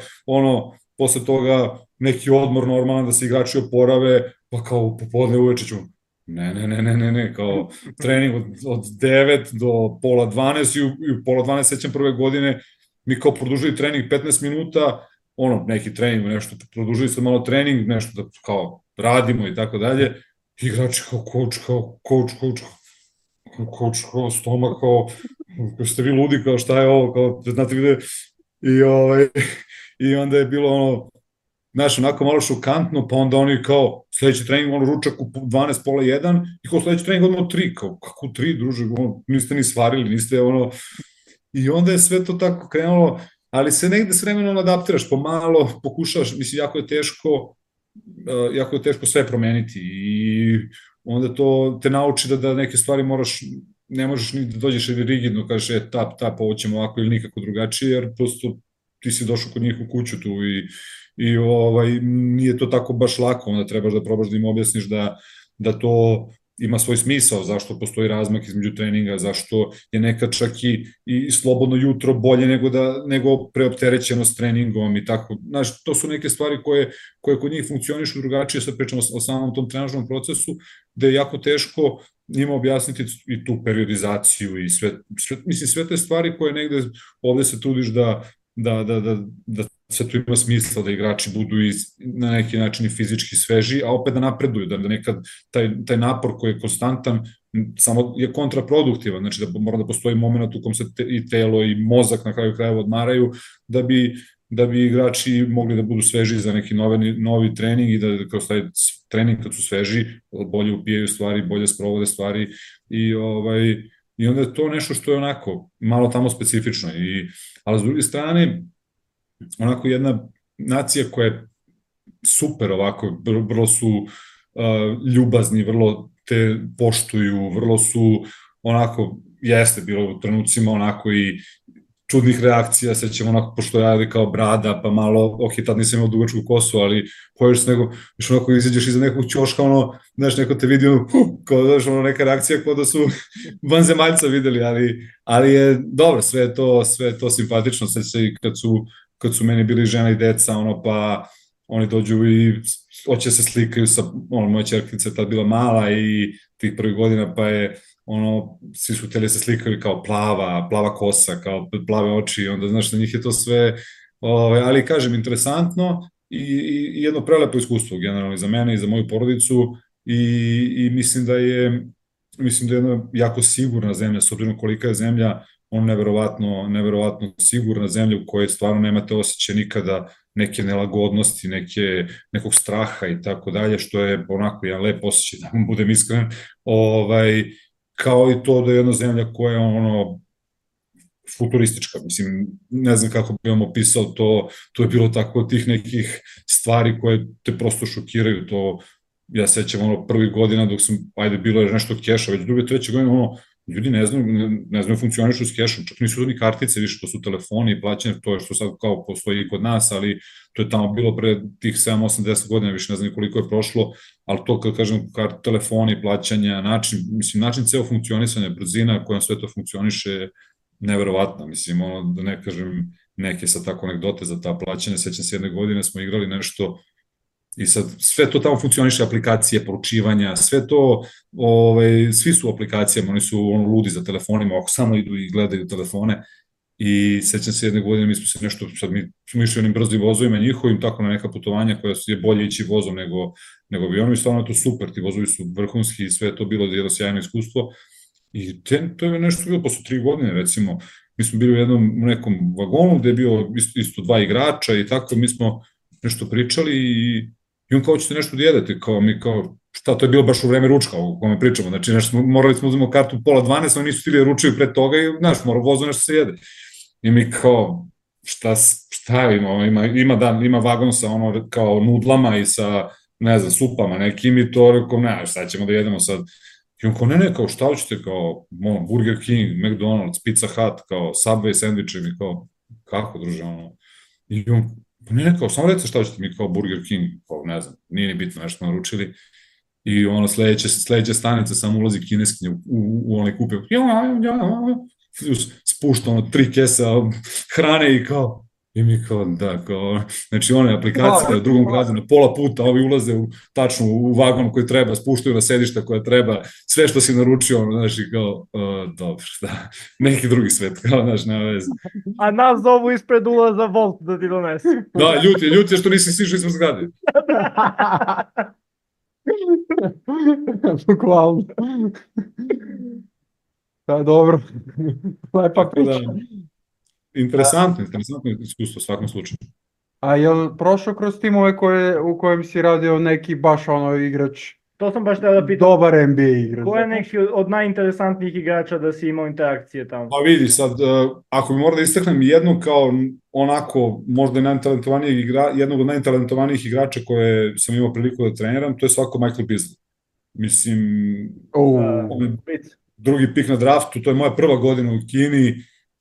posle toga neki odmor normalan da se igrači oporave, pa kao popodne uveče ćemo Ne, kao trening od 9 do pola 12 i u pola 12 sećam prve godine mi kao produžili trening 15 minuta, ono, neki trening, nešto, produžili se malo trening, nešto da kao radimo i tako dalje, igrači kao coach, kao stomak, kao ste vi ludi, kao šta je ovo, kao, znate gde, i, i onda je bilo ono, znaš, onako malo šokantno, pa onda oni kao, sledeći trening, ono, ručak u 12, pola 1, i kao sledeći trening odmah 3, kao, kako 3, druže, ono, niste ni svarili, niste, ono, i onda je sve to tako krenulo, ali se negde s vremenom adaptiraš, pomalo pokušavaš, mislim, jako je teško sve promeniti i onda to te nauči da neke stvari moraš, ne možeš ni da dođeš ili rigidno, kažeš, tap, ovo ćemo ovako ili nikako drugačije, jer prosto ti si došao kod njih u kuću tu i nije to tako baš lako, onda trebaš da probaš da im objasniš da to ima svoj smisao, zašto postoji razmak između treninga, zašto je nekad čak i slobodno jutro bolje nego preopterećeno s treningom i tako. Znaš, to su neke stvari koje kod njih funkcionišu drugačije, sad pričamo o samom tom trenažnom procesu, gde je jako teško njima objasniti i tu periodizaciju i sve te stvari koje negde ovde se trudiš da sve to ima smisla, da igrači budu na neki način i fizički sveži, a opet da napreduju, da nekad taj napor koji je konstantan samo je kontraproduktivan, znači da mora da postoji moment u kom se i telo i mozak na kraju krajeva odmaraju, da bi igrači mogli da budu sveži za neki novi trening i da kroz taj trening kad su sveži, bolje upijaju stvari, bolje sprovode stvari i onda je to nešto što je onako malo tamo specifično, ali s druge strane onako jedna nacija koja je super ovako, vrlo su ljubazni, vrlo te poštuju, vrlo su onako, jeste bilo u trenucima onako i čudnih reakcija, sećamo onako, pošto je kao brada, pa malo, ok, tad nisam imao dugačku kosu, ali pojedeš se nego, još onako izađeš iza nekog ćoška, ono, znaš, neko te vidi, kao, znaš, ono, neka reakcija kao da su vanzemaljca videli, ali je dobro, sve je to simpatično, sve se i kad su meni bili žena i deca, ono, pa oni dođu i hoće se slikaju sa, ono, moja čerkica je tad bila mala i tih prvih godina, pa je, ono, svi su htjeli se slikaju kao plava kosa, kao plave oči, onda, znaš, na njih je to sve, ali, kažem, interesantno i jedno prelepo iskustvo, generalno, i za mene i za moju porodicu i mislim da je jedna jako sigurna zemlja, s obzirom kolika je zemlja, neverovatno sigurna zemlja u kojoj stvarno nemate osjećaj nikada neke nelagodnosti, nekog straha i tako dalje, što je onako jedan lep osjećaj, da vam budem iskren, kao i to da je jedna zemlja koja je ono futuristička, mislim, ne znam kako bi vam opisao to je bilo tako tih nekih stvari koje te prosto šokiraju, to ja sećam ono prvih godina dok sam, bilo je nešto keša, već druge, treće godine, ono, ljudi ne znaju funkcionišu s kešom, čak nisu to ni kartice više, to su telefoni i plaćanje, to je što sad kao postoji i kod nas, ali to je tamo bilo pre tih 7, 8, 10 godina, više ne znam koliko je prošlo, ali to kad kažem telefoni, plaćanja, način ceo funkcionisanja, brzina kojom sve to funkcioniše je neverovatna, mislim, ono, da ne kažem neke sad tako anegdote za ta plaćanja, sećam se jedne godine smo igrali nešto i sad sve to tamo funkcioniše, aplikacije, poručivanja, sve to, svi su u aplikacijama, oni su ludi za telefonima, ako samo idu i gledaju telefone i sećam se jedne godine, mi smo se nešto, sad mi smo išli onim brzim vozovima njihovim, tako na neka putovanja koja je bolje ići vozom nego avionom i stvarno je to super, ti vozovi su vrhunski i sve je to bilo jedno sjajno iskustvo i to je nešto bilo posle 3 godine, recimo, mi smo bili u nekom vagonu gde je bio isto 2 igrača i tako, mi smo nešto pričali i on kao ćete nešto da jedete, kao mi kao, šta, to je bilo baš u vreme ručka o kome pričamo, znači morali smo uzmemo kartu pola 12, oni nisu stili da ručaju pre toga i znaš, mora vozu nešto se jede. I mi kao, šta ima vagon sa ono kao nudlama i sa, ne znam, supama nekim i to, rekao, ne, šta ćemo da jedemo sad. I on kao, ne, kao šta hoćete, kao Burger King, McDonald's, Pizza Hut, kao Subway sandvičevi, kao, kako druže, ono. I on, ne, kao, samo recite šta hoćete, mi kao Burger King, kao, ne znam, nije ni bitno, nešto naručili. I ono, sledeća stanica samo ulazi kineskinja u onaj kupe, spušta ono 3 kesa hrane i kao, I mi kao, da, kao, znači ona je aplikacija u drugom gradu na pola puta, ovi ulaze tačno u vagon koji treba, spuštaju na sedišta koja treba, sve što si naručio, ono, znaš, i kao, dobro, da, neki drugi svet, kao, znaš, nema veze. A nas zovu ispred ulaza Volt da ti donesu. Da, ljut je što nisi stišao ispred zgrade. Bukvalno. Da, dobro. Lepa priča. Interesantno iskustvo u svakom slučaju. A jel prošao kroz timove u kojem si radio neki baš ono igrač, To sam baš tada pitao. dobar NBA igrač? Ko je neki od najinteresantnijih igrača da si imao interakcije tamo? Pa vidi, sad, ako bi morao da istaknem jednu kao onako, možda jednog od najtalentovanijih igrača koje sam imao priliku da treniram, to je svako Michael Beasley. Mislim, on je drugi pik na draftu, to je moja prva godina u Kini,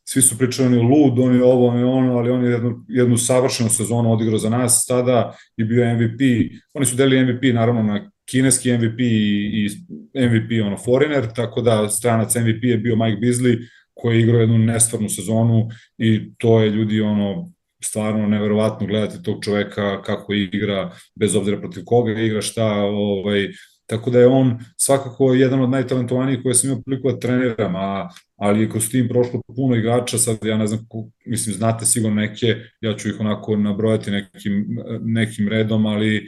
svi su pričali on je lud, on je ovo, on je ono, ali on je jednu savršenu sezonu odigrao za nas tada i bio MVP. Oni su delili MVP naravno na kineski MVP i MVP ono foreigner, tako da stranac MVP je bio Mike Beasley koji je igrao jednu nestvarnu sezonu i to je ljudi ono stvarno neverovatno gledati tog čoveka kako igra, bez obzira protiv koga igra, šta, tako da je on svakako jedan od najtalentovanijih koje sam imao priliku da treniram, ali je kroz tim prošlo puno igrača, sad ja ne znam, mislim, znate sigurno neke, ja ću ih onako nabrojati nekim redom, ali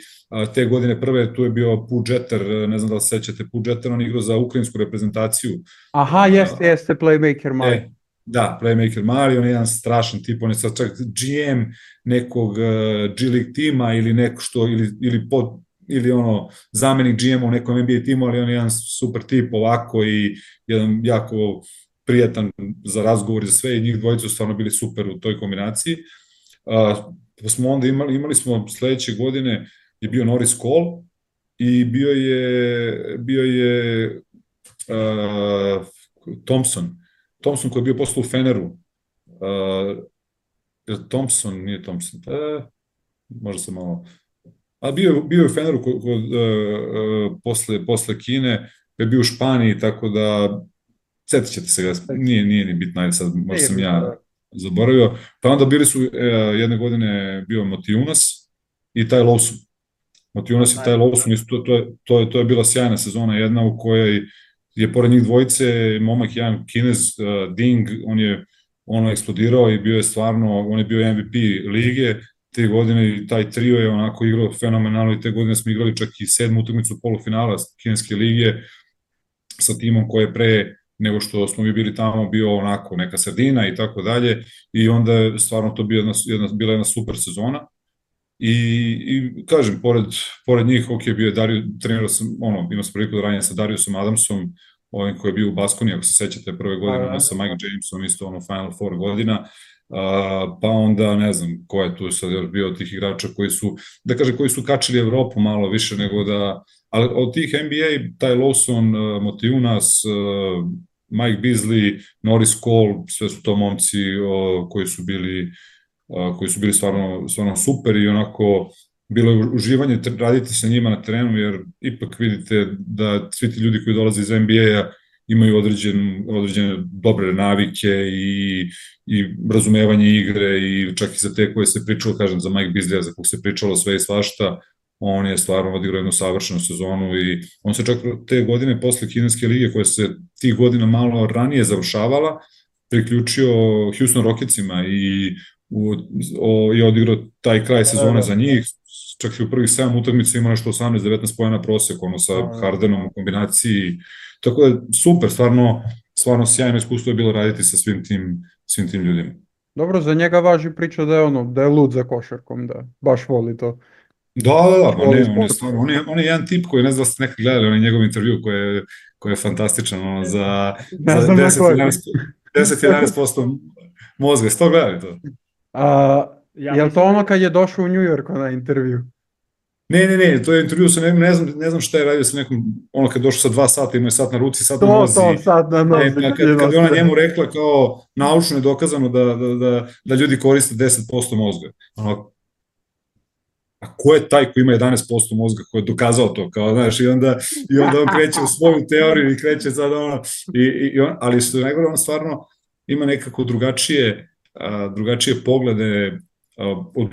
te godine prve tu je bio Pudžeter, ne znam da li se sećate, Pudžeter, on igrao za ukrajinsku reprezentaciju. Aha, jeste, playmaker mali. Da, playmaker mali, on je jedan strašan tip, on je sad čak GM nekog G-League tima ili neko što, ili ono, zamenik GM u nekom NBA timu, ali on je jedan super tip ovako i jedan jako prijatan za razgovor i za sve i njih dvojica su stvarno bili super u toj kombinaciji. Pa smo onda imali smo sledeće godine je bio Norris Cole i bio je Thompson koji je bio posle u Feneru. Nije Thompson, možda sam malo... A bio je u Feneru posle Kine, je bio u Španiji, tako da setit ćete se ga, nije ni bitno, ajde sad, možda sam ja zaboravio. Pa onda bili su jedne godine bio Motijunas i Ty Lawson. Motijunas i Ty Lawson, to je bila sjajna sezona jedna u kojoj je pored njih dvojice momak jedan Kinez, Ding, on je eksplodirao i bio je stvarno, on je bio MVP lige, te godine i taj trio je onako igrao fenomenalno i te godine smo igrali čak i 7. utakmicu polufinala kineske lige sa timom koji je pre nego što smo mi bili tamo bio onako neka sredina i tako dalje i onda je stvarno to bila jedna super sezona i kažem, pored njih, ok, bio je trenirao sam, imao sam priliku da ranije sa Dariusom Adamsom, ovim koji je bio u Baskoni, ako se sećate prve godine, sa Mike Jamesom, isto Final Four godina, pa onda ne znam ko je tu sad bio od tih igrača koji su kačili Evropu malo više nego da, ali od tih NBA, Ty Lawson, Motijunas, Mike Beasley, Norris Cole, sve su to momci koji su bili stvarno super i onako bilo je uživanje raditi sa njima na terenu, jer ipak vidite da svi ti ljudi koji dolaze iz NBA-a imaju određene dobre navike i razumevanje igre i čak i za te koje se pričalo, kažem, za Mike Beasley, za kog se pričalo sve i svašta, on je stvarno odigrao jednu savršenu sezonu i on se čak te godine posle kineske lige koja se tih godina malo ranije završavala, priključio Houston Rocketsima i odigrao taj kraj sezone za njih, čak i u prvih 7 utakmica ima nešto 18-19 pojena prosek, sa Hardenom u kombinaciji, tako da super, stvarno sjajno iskustvo je bilo raditi sa svim tim ljudima. Dobro, za njega važi priča da je lud za košarkom, da baš voli to. Da, on je jedan tip koji, ne znam da ste nekad gledali, on je njegov intervju koji je fantastičan, za 10-11% mozga, ste to gledali to? Je li to ono kad je došao u New York na intervju? Ne, to je intervju sa ne znam šta je radio sa nekom, kad je došao sa 2 sata, imao je sat na ruci, sat na nozi. Sat na nozi. Kad je ona njemu rekla kao naučno je dokazano da ljudi koriste 10% mozga. A ko je taj ko ima 11% mozga koji je dokazao to, kao, znaš, i onda on kreće u svoju teoriju i kreće sad ali što je najgore, on stvarno ima nekako drugačije poglede od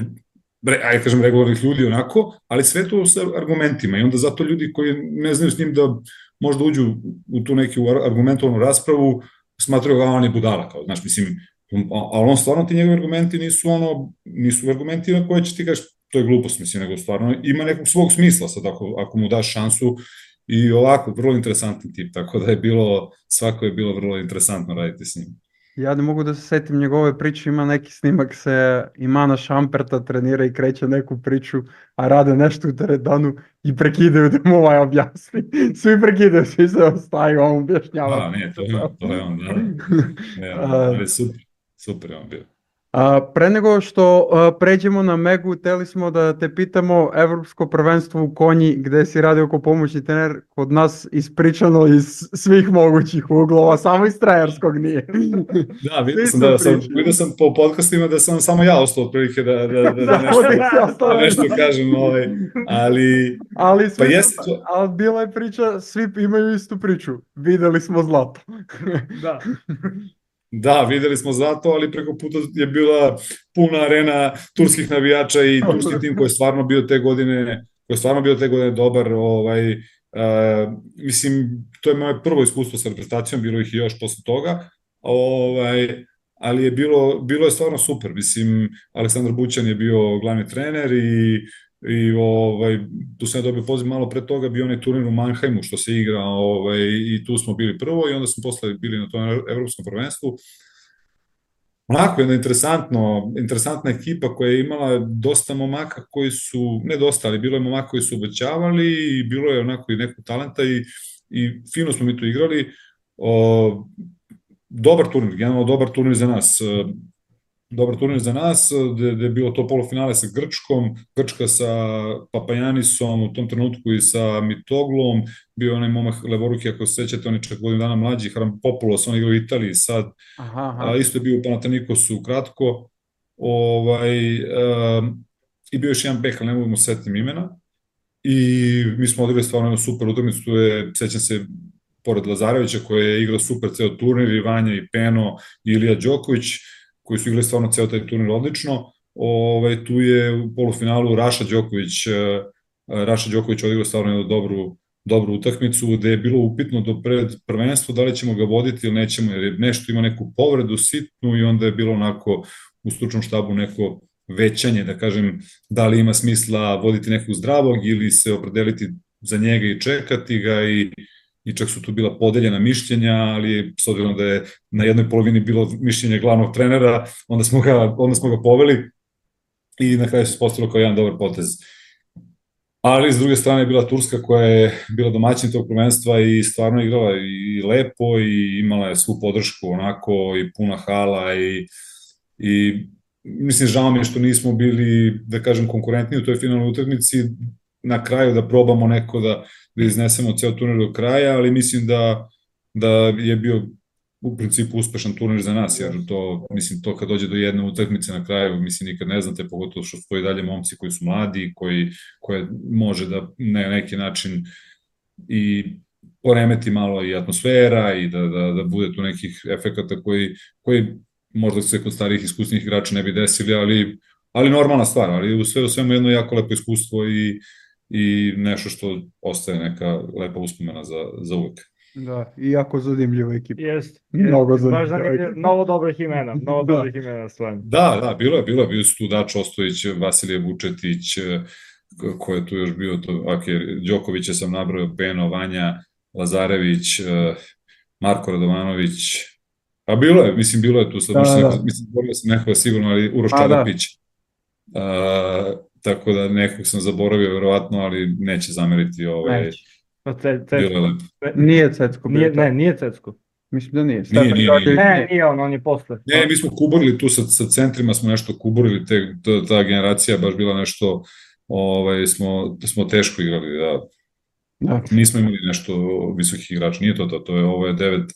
ajde kažem regularnih ljudi onako, ali sve to sa argumentima i onda zato ljudi koji ne znaju s njim da možda uđu u tu neku argumentovanu raspravu, smatraju ga on je budala, kao, znaš, mislim, ali on stvarno ti njegovi argumenti nisu argumenti na koje će ti kaži to je glupost, mislim, nego stvarno ima nekog svog smisla sad ako mu daš šansu i ovako, vrlo interesantan tip, tako da svako je bilo vrlo interesantno raditi s njim. Ja ne mogu da se setim njegove priče, ima neki snimak se Imana Šamperta trenira i kreće neku priču, a rade nešto u teretanu i prekidaju da mu objasni. Svi prekidaju, svi se ostaju, on objašnjava. Nije, to je on, da. Ali super je on bio. Pre nego što pređemo na Megu, hteli smo da te pitamo Evropsko prvenstvo u Konji, gde si radio kao pomoćni trener, kod nas ispričano iz svih mogućih uglova, samo iz trenerskog nije. Da, vidio sam po podcastima da sam samo ja ostao otprilike da nešto kažem, ali bila je priča, svi imaju istu priču, videli smo zlato. Da. Da, videli smo zlato, ali preko puta je bila puna arena turskih navijača i turski tim koji je stvarno bio te godine dobar. Mislim, to je moje prvo iskustvo sa reprezentacijom, bilo ih i još posle toga, ali je bilo je stvarno super. Mislim, Aleksandar Bućan je bio glavni trener i tu sam ja dobio poziv malo pre toga, bio onaj turnir u Mannheimu što se igra i tu smo bili prvo i onda smo posle bili na tom evropskom prvenstvu. Onako, jedna interesantna ekipa koja je imala dosta momaka koji su, ne dosta, ali bilo je momaka koji su obećavali i bilo je onako i nekog talenta i fino smo mi tu igrali. Dobar turnir, generalno dobar turnir za nas. Gde je bilo to polufinale sa Grčkom, Grčka sa Papajanisom, u tom trenutku i sa Mitoglom, bio onaj momak levoruki, ako se sećate, on je čak godinu dana mlađi, Hrampopoulos, on igra u Italiji sad, isto je bio u Panathinaikosu kratko, i bio još jedan bek, ali ne mogu mu setim imena, i mi smo odigrali stvarno jednu super utakmicu, tu je, sećam se, pored Lazarevića koji je igrao super ceo turnir, i Vanja, i Peno, i Ilija Đoković, koji su igrali stvarno ceo taj turnir odlično. Tu je u polufinalu Raša Đoković odigrao stvarno jednu dobru utakmicu, gde je bilo upitno do pred prvenstvo da li ćemo ga voditi ili nećemo, jer je nešto ima neku povredu sitnu i onda je bilo onako u stručnom štabu neko većanje, da kažem, da li ima smisla voditi nekog zdravog ili se opredeliti za njega i čekati ga i čak su tu bila podeljena mišljenja, ali s obzirom da je na jednoj polovini bilo mišljenje glavnog trenera, onda smo ga poveli i na kraju se postavilo kao jedan dobar potez. Ali s druge strane je bila Turska koja je bila domaćin tog prvenstva i stvarno igrala i lepo i imala je svu podršku onako i puna hala i mislim, žao mi je što nismo bili, da kažem, konkurentni u toj finalnoj utakmici, na kraju da probamo neko da iznesemo ceo turnir do kraja, ali mislim da je bio u principu uspešan turnir za nas, jer to kad dođe do jedne utakmice na kraju, mislim, nikad ne znate, pogotovo što stoji dalje momci koji su mladi, koje može da na neki način i poremeti malo i atmosfera i da bude tu nekih efekata koji možda se kod starih iskusnih igrača ne bi desili, ali normalna stvar, ali u svemu jedno jako lepo iskustvo i nešto što ostaje neka lepa uspomena za uvek. Da, i jako zanimljiva ekipa. Jeste. Mnogo zanimljiva ekipa. Mnogo dobrih imena, stvarno. Da, bilo su tu Dačo Ostojić, Vasilije Vučetić, ko je tu još bio, Đokovića sam nabrojao, Peno, Vanja, Lazarević, Marko Radovanović, a bilo je tu sad, mislim, borio sam nekoga sigurno, ali Uroš Čarapić, tako da nekog sam zaboravio verovatno, ali neće zameriti bilo je lepo. Nije Cecko. Nije Cecko. Mislim da nije. Nije on je posle. Ne, mi smo kuburili tu sa centrima, smo nešto kuburili, ta generacija baš bila nešto, smo teško igrali, da. Nismo imali nešto visokih igrača, nije to je, ovo je 9-6,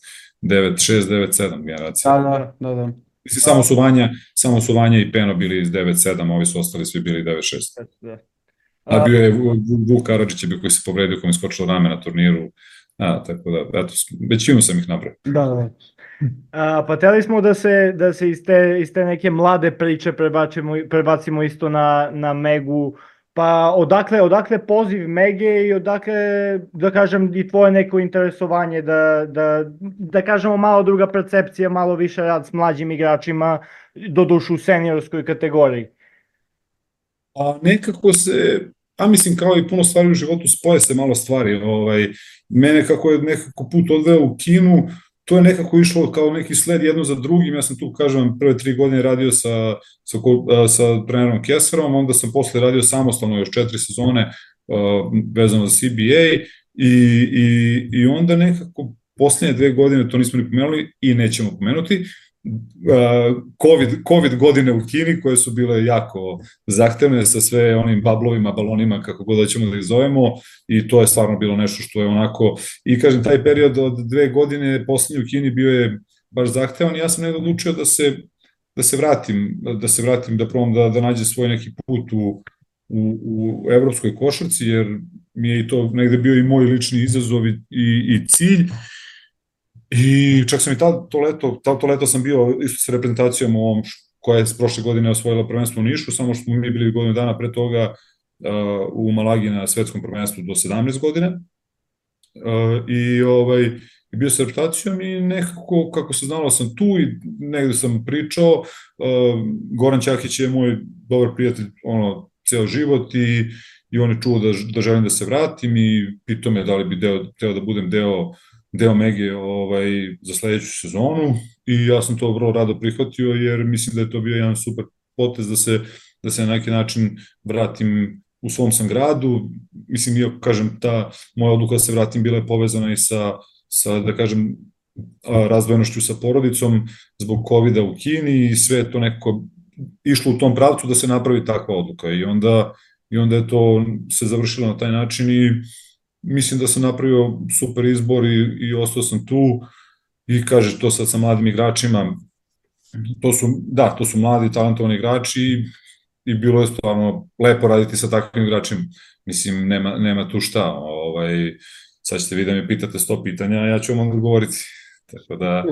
9-7 generacija. Da. Mislim, samo su Vanja i Peno bili iz 9-7, ovi su ostali svi bili 9-6. Da. A bio je Vuk Karadžić koji se povredio, koji mi skočilo rame na turniru. Tako da, eto, većinu sam ih napravio. Da. Pa htjeli smo da se iz te neke mlade priče prebacimo isto na Megu. Pa odakle poziv Mege i odakle, da kažem, i tvoje neko interesovanje da kažemo malo druga percepcija, malo više rad s mlađim igračima, doduše u seniorskoj kategoriji. A nekako mislim kao i puno stvari u životu, spoje se malo stvari. Mene kako je nekako put odveo u Kinu, to je nekako išlo kao neki sled jedno za drugim. Ja sam tu, kažem, prve 3 godine radio sa trenerom Kesserom, onda sam posle radio samostalno još 4 sezone vezano za CBA i onda nekako posljednje 2 godine, to nismo ni pomenuli i nećemo pomenuti, COVID godine u Kini koje su bile jako zahtevne sa sve onim bablovima, balonima, kako god da ćemo da ih zovemo, i to je stvarno bilo nešto što je onako, i kažem, taj period od 2 godine poslednji u Kini bio je baš zahtevan i ja sam nekada odlučio da se vratim, da probam da nađe svoj neki put u evropskoj košarci, jer mi je i to negde bio i moj lični izazov i cilj. I čak sam i to leto sam bio isto sa reprezentacijom koja je prošle godine osvojila prvenstvo u Nišu, samo što smo mi bili godinu dana pre toga u Malagi na svetskom prvenstvu do 17 godina. I bio sa reprezentacijom i nekako, kako se znalo, sam tu i negde sam pričao. Goran Ćakić je moj dobar prijatelj ceo život i on je čuo da želim da se vratim i pitao me da li bi teo da budem deo Mege za sledeću sezonu i ja sam to vrlo rado prihvatio jer mislim da je to bio jedan super potez da se na neki način vratim u svom sam gradu. Mislim, ja kažem, ta moja odluka da se vratim bila je povezana i sa da kažem, razdvojenošću sa porodicom zbog COVID-a u Kini i sve to nekako išlo u tom pravcu da se napravi takva odluka i onda je to se završilo na taj način i mislim da sam napravio super izbor i ostao sam tu i kaže to sad sa mladim igračima, to su mladi talentovani igrači i bilo je stvarno lepo raditi sa takvim igračima, mislim nema tu šta, sad ćete vi da me pitate 100 pitanja, a ja ću vam odgovoriti. Tako da...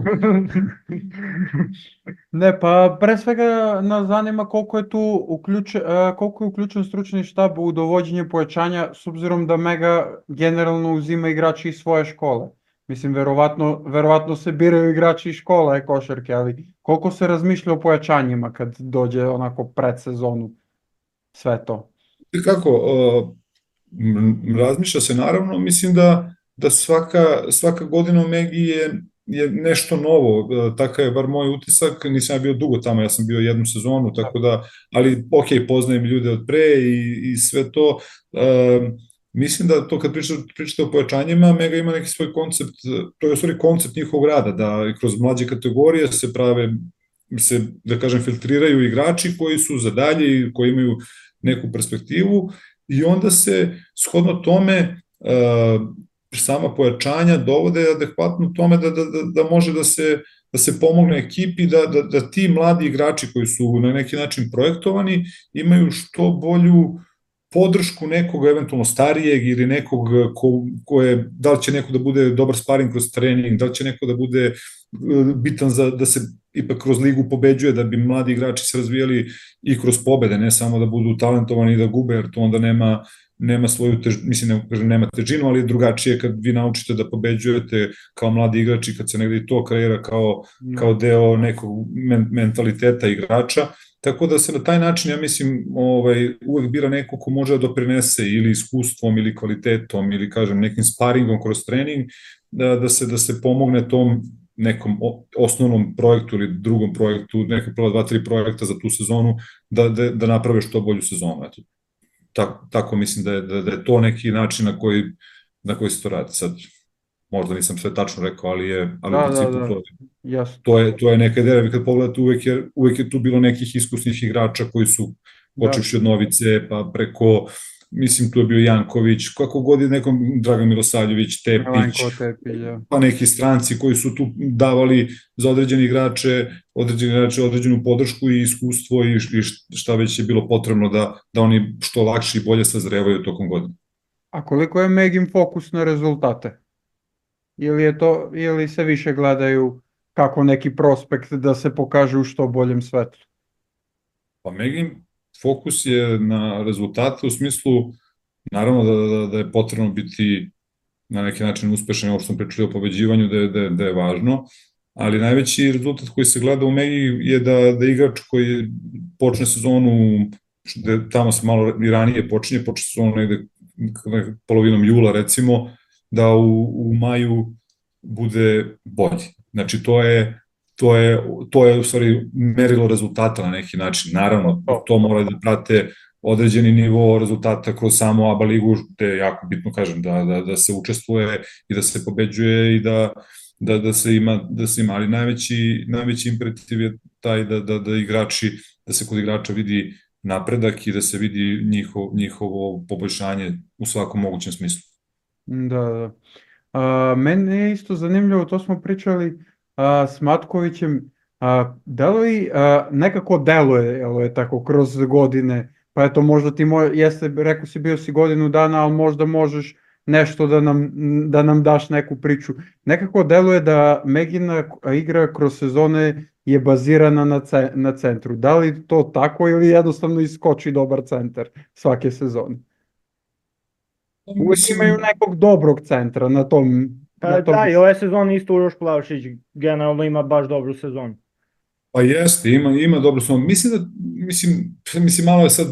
Ne, pa pre svega nas zanima koliko je tu uključen stručni štab u dovođenje pojačanja, s obzirom da Mega generalno uzima igrači iz svoje škole. Mislim, verovatno se biraju igrači iz škola košarke, ali koliko se razmišlja o pojačanjima kad dođe onako pred sezonu sve to? Kako, razmišlja se naravno, mislim da svaka godina u Megi je nešto novo, takav je bar moj utisak, nisam ja bio dugo tamo, ja sam bio 1 sezonu, tako da, ali ok, poznajem ljude od pre i sve to, mislim da to kad pričate o pojačanjima, Mega ima neki svoj koncept, to je u stvari koncept njihovog rada, da kroz mlađe kategorije se, da kažem, filtriraju igrači koji su za dalje i koji imaju neku perspektivu i onda se shodno tome sama pojačanja dovode adekvatno tome da može da se pomogne ekipi, da ti mladi igrači koji su na neki način projektovani imaju što bolju podršku nekog eventualno starijeg ili nekog da li će neko da bude dobar sparing kroz trening, da li će neko da bude bitan da se ipak kroz ligu pobeđuje, da bi mladi igrači se razvijali i kroz pobede, ne samo da budu talentovani i da gube, jer to onda nema svoju težinu, nema težinu, ali drugačije kad vi naučite da pobeđujete kao mladi igrači, kad se negde i to kreira kao deo nekog mentaliteta igrača, tako da se na taj način, ja mislim, uvek bira neko ko može da doprinese ili iskustvom ili kvalitetom ili, kažem, nekim sparingom kroz trening, da se pomogne tom nekom osnovnom projektu ili drugom projektu, neka prva 2-3 projekta za tu sezonu, da naprave što bolju sezonu. Eto. Tako mislim da je to neki način na koji se to radi. Sad, možda nisam sve tačno rekao, ali u principu to je neka ideja. Kad pogledate, uvek je tu bilo nekih iskusnih igrača koji su počevši od Novice, pa preko, mislim, tu je bio Janković, kako god je nekom, Dragan Milosavljević, Tepić, pa neki stranci koji su tu davali za određene igrače određenu podršku i iskustvo i šta već je bilo potrebno da oni što lakše i bolje sazrevaju tokom godine. A koliko je Megin fokus na rezultate? Ili se više gledaju kako neki prospekt da se pokaže u što boljem svetlu? Pa Megin fokus je na rezultate u smislu, naravno da je potrebno biti na neki način uspešan, ovo što smo pričali o pobeđivanju, da je važno, ali najveći rezultat koji se gleda u Megi je da igrač koji počne sezonu, tamo se malo i ranije počne sezonu negde polovinom jula recimo, da u maju bude bolji. Znači to je u stvari merilo rezultata na neki način. Naravno, to mora da prate određeni nivo rezultata kroz samu ABA ligu, gde je jako bitno, kažem, da se učestvuje i da se pobeđuje i da se ima, ali najveći imperativ je taj da igrači, da se kod igrača vidi napredak i da se vidi njihovo poboljšanje u svakom mogućem smislu. Da. Meni je isto zanimljivo, to smo pričali s Matkovićem, nekako deluje tako kroz godine, pa eto možda ti jeste, rekao si bio si godinu dana, ali možda možeš nešto da nam daš neku priču. Nekako deluje da Megina igra kroz sezone je bazirana na centru. Da li to tako ili jednostavno iskoči dobar centar svake sezone? Uvijek imaju nekog dobrog centra na tom. Da, i ove sezone isto Uroš Plavšić generalno ima baš dobru sezonu. Pa jeste, ima dobru sezonu. Mislim, malo je sad,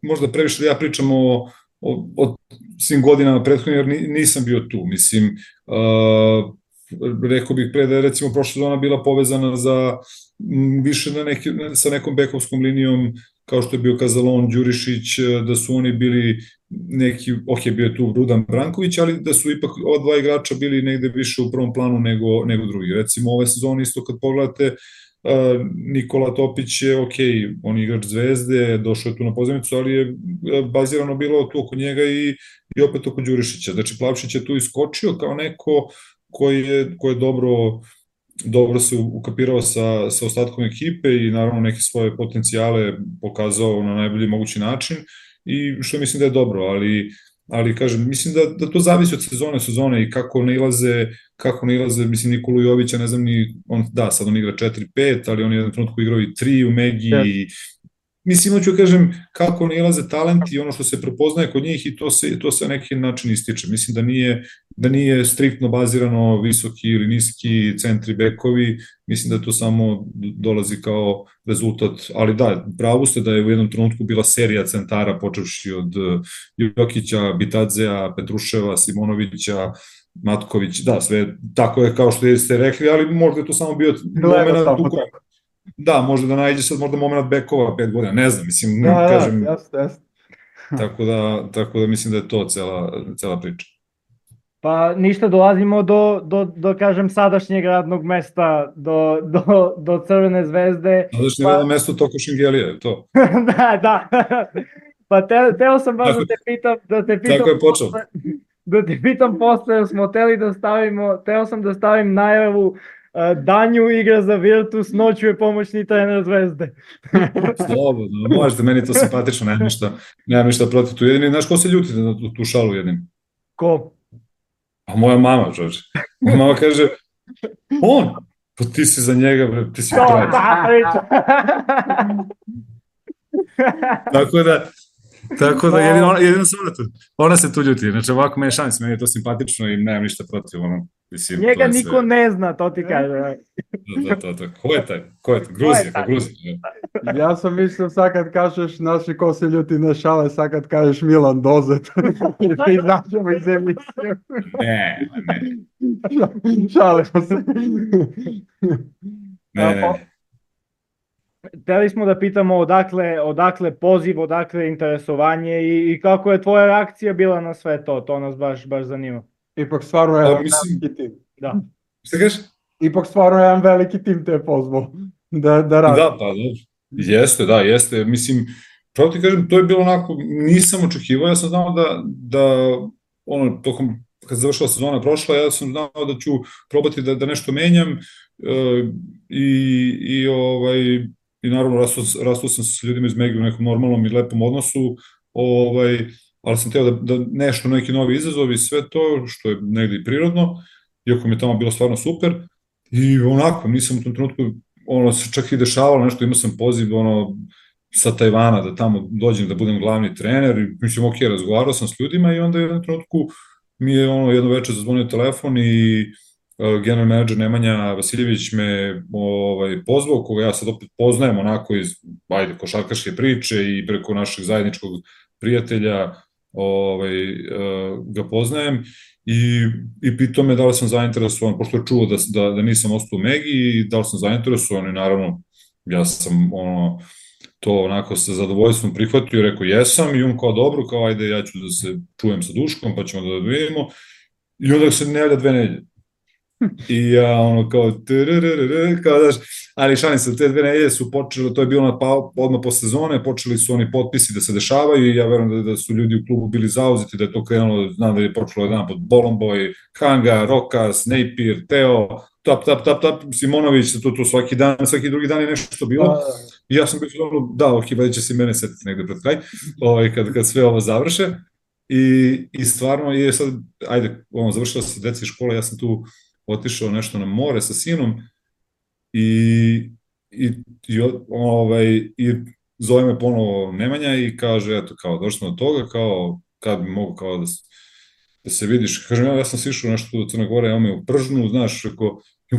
možda previše da ja pričam o svim godinama prethodnim, jer nisam bio tu. Mislim, rekao bih pre da je recimo prošla sezona bila povezana više sa nekom bekovskom linijom, kao što je bio Kazalon, Đurišić, da su oni bili neki, bio je tu Rudan Branković, ali da su ipak ova dva igrača bili negde više u prvom planu nego drugi. Recimo ove sezone isto kad pogledate, Nikola Topić je on je igrač Zvezde, došao je tu na pozemicu, ali je bazirano bilo tu oko njega i opet oko Đurišića. Znači Plavšić je tu iskočio kao neko koji je dobro se ukapirao sa ostatkom ekipe i naravno neke svoje potencijale pokazao na najbolji mogući način i što mislim da je dobro, ali kažem, mislim da to zavisi od sezone i kako nailaze, mislim Nikolu Jovića, ne znam ni, sad on igra 4-5, ali on je jedan trenutku igrao i 3 u Megi i mislim, hoću kažem, kako nailaze talenti i ono što se prepoznaje kod njih i to se na neki način ističe. Mislim da nije striktno bazirano visoki ili niski centri bekovi, mislim da to samo dolazi kao rezultat, ali da, pravo ste da je u jednom trenutku bila serija centara počevši od Jokića, Bitadzea, Petruševa, Simonovića, Matković, da, sve tako je kao što ste rekli, ali možda je to samo bio moment u kojem. Da, možda da najde sad možda moment bekova 5 godina, ne znam, mislim, kažem, jasno. Tako da mislim da je to cela priča. Pa ništa, dolazimo do kažem, sadašnjeg radnog mesta, do Crvene zvezde. Sadašnje radno mesto Toko Šengelija, je to? Da. Pa teo sam baš da te pitam. Tako je počeo. Da te pitam posle, jer smo teo sam da stavim najavu Danju igra za Virtus, noću je pomoćni trener Zvezde. Slobodno, možete, meni to simpatično, nemam ništa protiv tu jedini. Znaš ko se ljuti na tu šalu jednim? Ko? A moja mama, čovječe. Moja mama kaže, pa ti si za njega, ti si pravi. Tako da jedino samo tu. Ona se tu ljuti, znači ovako meni šans, meni je to simpatično i nemam ništa protiv. Njega niko ne zna, to ti kaže. Da. Ko je taj? Gruzija. Ja sam mislio sad kad kažeš naši ko se ljuti na šale, sad kad kažeš Milan Dozet. Ti značemo iz emisiju. Ne. Šalimo se. Ne. Hteli smo da pitamo odakle poziv, odakle interesovanje i kako je tvoja reakcija bila na sve to nas baš zanima. Ipak stvarno je veliki tim. Da. Šta kažeš? Ipak stvarno je jedan veliki tim te pozvao da radi. Da, pa da. Jeste. Mislim, pravo ti kažem, to je bilo onako, nisam očekivao, ja sam znao da tokom, kad završila sezona prošla, ja sam znao da ću probati da nešto menjam i naravno rastao sam s ljudima iz Megi u nekom normalnom i lepom odnosu, ali sam teo da nešto, neki novi izazov i sve to, što je negdje prirodno, iako mi je tamo bilo stvarno super, I onako, nisam u tom trenutku, ono, se čak i dešavalo nešto, imao sam poziv, ono, sa Tajvana da tamo dođem da budem glavni trener i mislim, ok, razgovarao sam s ljudima i onda u jednom trenutku mi je ono jedno večer zazvonio telefon i general manager Nemanja Vasiljević me pozvao, koga ja sad opet poznajem onako iz, ajde, košarkaške priče i preko našeg zajedničkog prijatelja ga poznajem i pitao me da li sam zainteresovan, pošto je čuo da nisam ostao u Megi i da li sam zainteresovan i naravno ja sam to onako sa zadovoljstvom prihvatio i rekao jesam i on kao dobro, kao ajde ja ću da se čujem sa Duškom pa ćemo da vidimo i onda se ne javlja 2 nedelje. I ja ono kao kao daš, ali šalim se, te 2 nedelje su počele, to je bilo odmah po sezone, počeli su oni potpisi da se dešavaju i ja verujem da su ljudi u klubu bili zauzeti, da je to krenulo, znam da je počelo jedan pod Bolomboy, Kanga, Rokas, Napier, Teo, tap, Simonović, to svaki dan, svaki drugi dan je nešto bilo. I ja sam bio da, ok, već će se mene setiti negde pred kraj, kad sve ovo završe. I stvarno je sad, ajde, završila se deci škola, ja sam tu otišao nešto na more sa sinom i zove me ponovo Nemanja i kaže, eto, kao, došli smo do toga, kao, kad bi mogu kao da se vidiš. Kažem, ja sam sišao nešto do Crne Gore, ja me u Pržnu, znaš,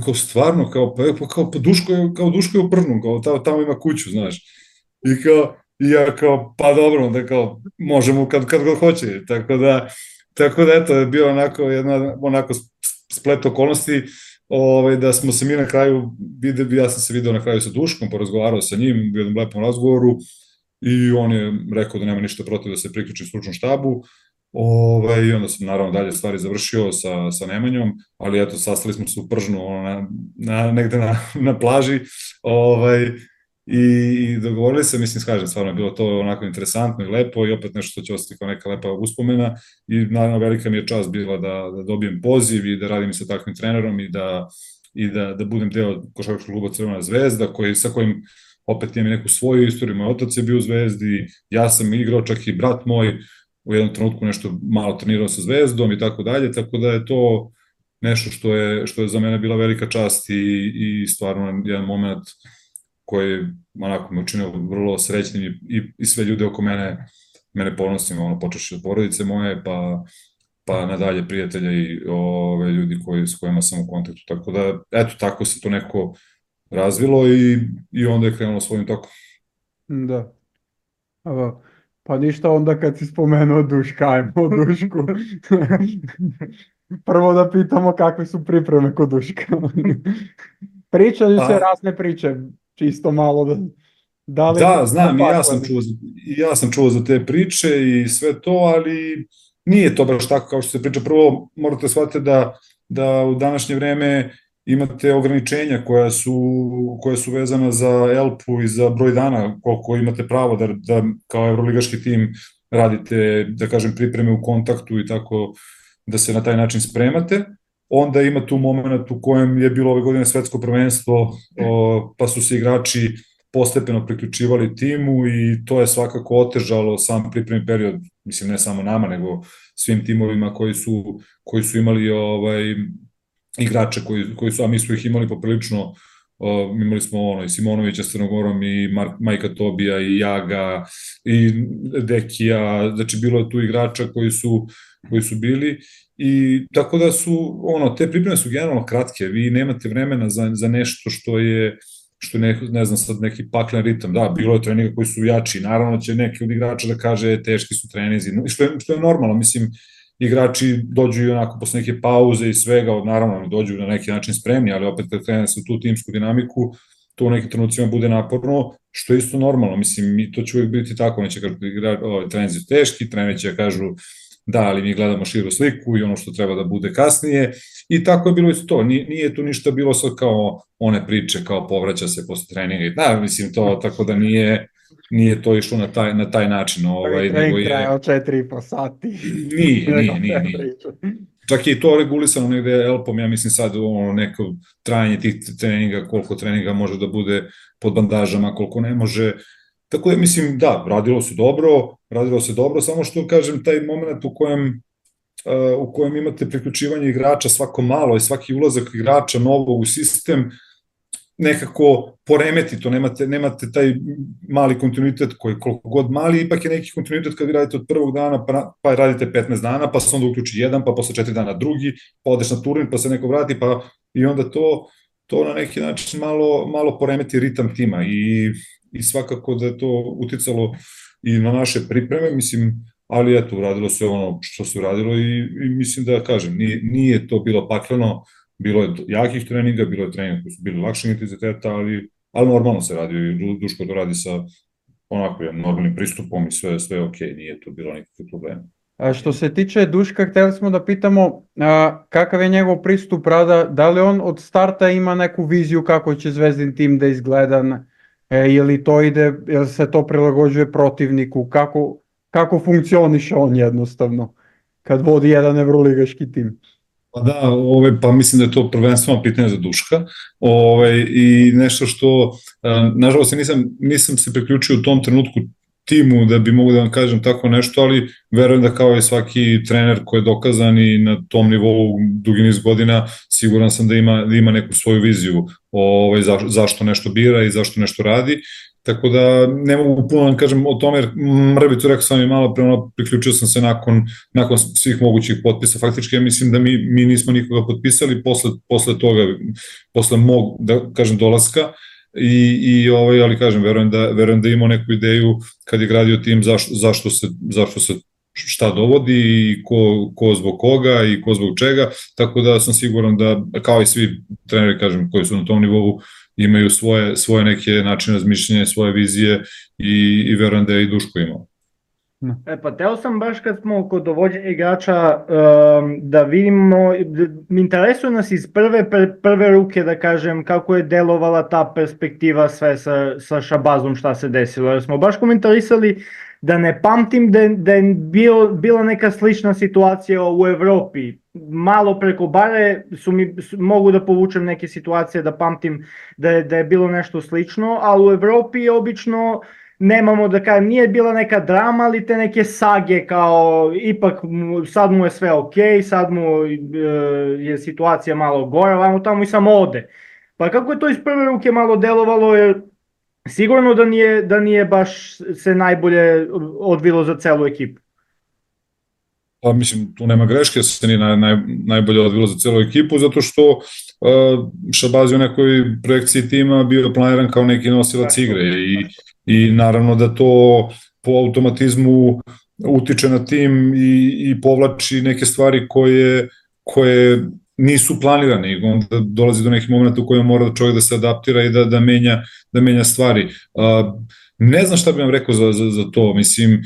kao stvarno, pa Duško je u Pržnu, kao tamo ima kuću, znaš. I ja kao, pa dobro, onda kao, možemo kad god hoće, tako da, eto, je bio onako splet okolnosti, da smo se mi na kraju, ja sam se video na kraju sa Duškom, porazgovarao sa njim u jednom lepom razgovoru i on je rekao da nema ništa protiv da se priključi stručnom štabu i onda sam naravno dalje stvari završio sa Nemanjom, ali eto, sastali smo se u Pržnu negde na plaži i dogovorili se, mislim, skažem, stvarno je bilo to onako interesantno i lepo i opet nešto što će ostati kao neka lepa uspomena i naravno velika mi je čast bila da dobijem poziv i da radim sa takvim trenerom i da budem deo košarkaškog kluba Crvena zvezda, sa kojim opet imam neku svoju istoriju, moj otac je bio u Zvezdi, ja sam igrao, čak i brat moj u jednom trenutku nešto malo trenirao sa Zvezdom i tako dalje, tako da je to nešto što je za mene bila velika čast i stvarno jedan moment koji onako me učinio vrlo srećnim i sve ljude oko mene ponosim, počeš od porodice moje, pa nadalje prijatelja i ljudi s kojima sam u kontaktu, tako da, eto, tako se to neko razvilo i onda je krenulo svojim tokom. Da. Pa ništa onda kad si spomenuo Duška, ajmo o Dušku. Prvo da pitamo kakve su pripreme kod Duška. Pričaju se razne priče, čisto malo da znam, i ja sam čuo za te priče i sve to, ali nije to baš tako kao što se priča. Prvo morate shvatiti da u današnje vreme imate ograničenja koja su vezana za ELP-u i za broj dana koliko imate pravo da kao evroligaški tim radite, da kažem, pripreme u kontaktu i tako da se na taj način spremate. Onda ima tu moment u kojem je bilo ove godine svetsko prvenstvo, pa su se igrači postepeno priključivali timu i to je svakako otežalo sam pripremni period, mislim ne samo nama, nego svim timovima koji su imali igrače koji su, a mi smo ih imali poprilično, imali smo i Simonovića s Crnogorom i Majka Tobija i Jaga i Dekija, znači bilo je tu igrača koji su bili i tako da su, te pripreme su generalno kratke, vi nemate vremena za nešto što je ne znam sad neki paklen ritam, da, bilo je treninga koji su jači, naravno će neki od igrača da kaže teški su treninzi, što je normalno, mislim, igrači dođu i onako posle neke pauze i svega, naravno dođu na neki način spremni, ali opet kad krene se u tu timsku dinamiku, to u nekim trenucima bude naporno, što je isto normalno, mislim, i to će uvijek biti tako, neće kažu treninzi su teški, treneri će kažu da, ali mi gledamo širu sliku i ono što treba da bude kasnije i tako je bilo isto to, nije tu ništa bilo sad kao one priče, kao povraća se posle treninga, da, mislim to, tako da nije to išlo na taj način. Trening trajao 4,5 sati. Nije. Čak je i to regulisano negde ELP-om, ja mislim sad neko trajanje tih treninga, koliko treninga može da bude pod bandažama, koliko ne može. Tako da mislim, da, radilo se dobro, samo što kažem taj moment u kojem u kojem imate priključivanje igrača svako malo i svaki ulazak igrača novog u sistem nekako poremeti to, nemate taj mali kontinuitet koji koliko god mali, ipak je neki kontinuitet kad vi radite od prvog dana, pa radite 15 dana, pa se onda uključi jedan, pa posle 4 dana drugi, pa odeš na turnir, pa se neko vrati, pa i onda to na neki način malo poremeti ritam tima i svakako da je to uticalo i na naše pripreme, mislim, ali eto, uradilo se ono što se uradilo i mislim da kažem, nije to bilo pakleno, bilo je jakih treninga, bilo je treninga koji su bili lakšeg intenziteta, ali normalno se radi i Duško to radi sa onako normalnim pristupom i sve je okej, nije to bilo nikakve probleme. A što se tiče Duška, htjeli smo da pitamo kakav je njegov pristup rada, da li on od starta ima neku viziju kako će Zvezdin tim da izgleda, ili se to prilagođuje protivniku, kako funkcioniše on jednostavno kad vodi jedan evroligaški tim? Pa da, pa mislim da je to prvenstveno pitanje za Duška i nešto što, nažalost, nisam se priključio u tom trenutku timu da bi mogu da vam kažem tako nešto, ali verujem da kao i svaki trener koji je dokazan i na tom nivou dugi niz godina, siguran sam da ima neku svoju viziju zašto nešto bira i zašto nešto radi. Tako da ne mogu puno da kažem o tome, jer mrvicu rekao sam i malo pre, priključio sam se nakon svih mogućih potpisa. Faktički ja mislim da mi nismo nikoga potpisali posle toga, posle mog, da kažem, dolaska, ali kažem, verujem da imao neku ideju kad je gradio tim zašto se šta dovodi i ko zbog koga i ko zbog čega, tako da sam siguran da, kao i svi treneri, kažem, koji su na tom nivou, imaju svoje neke načine razmišljanja, svoje vizije i verujem da je i Duško imao. Pa teo sam baš kad smo kod dovođenja igrača da vidimo, interesuje nas iz prve ruke da kažem kako je delovala ta perspektiva sve sa Shabazom šta se desilo, jer smo baš komentarisali da ne pamtim da je bila neka slična situacija u Evropi. Malo preko bare mogu da povučem neke situacije da pamtim da je bilo nešto slično, ali u Evropi obično nemamo, da kažem, nije bila neka drama, ali te neke sage kao ipak sad mu je sve okej, sad mu je situacija malo gora, vamo tamo i samo ode. Pa kako je to iz prve ruke malo delovalo, jer sigurno da nije baš se najbolje odvilo za celu ekipu. Pa mislim, tu nema greške, se nije najbolje odvilo za celu ekipu, zato što Shabazz je u nekoj projekciji tima bio planiran kao neki nosilac igre i naravno da to po automatizmu utiče na tim i povlači neke stvari koje nisu planirane i onda dolazi do nekih momenta u kojima mora čovjek da se adaptira i da menja stvari. Ne znam šta bih vam rekao za to, mislim,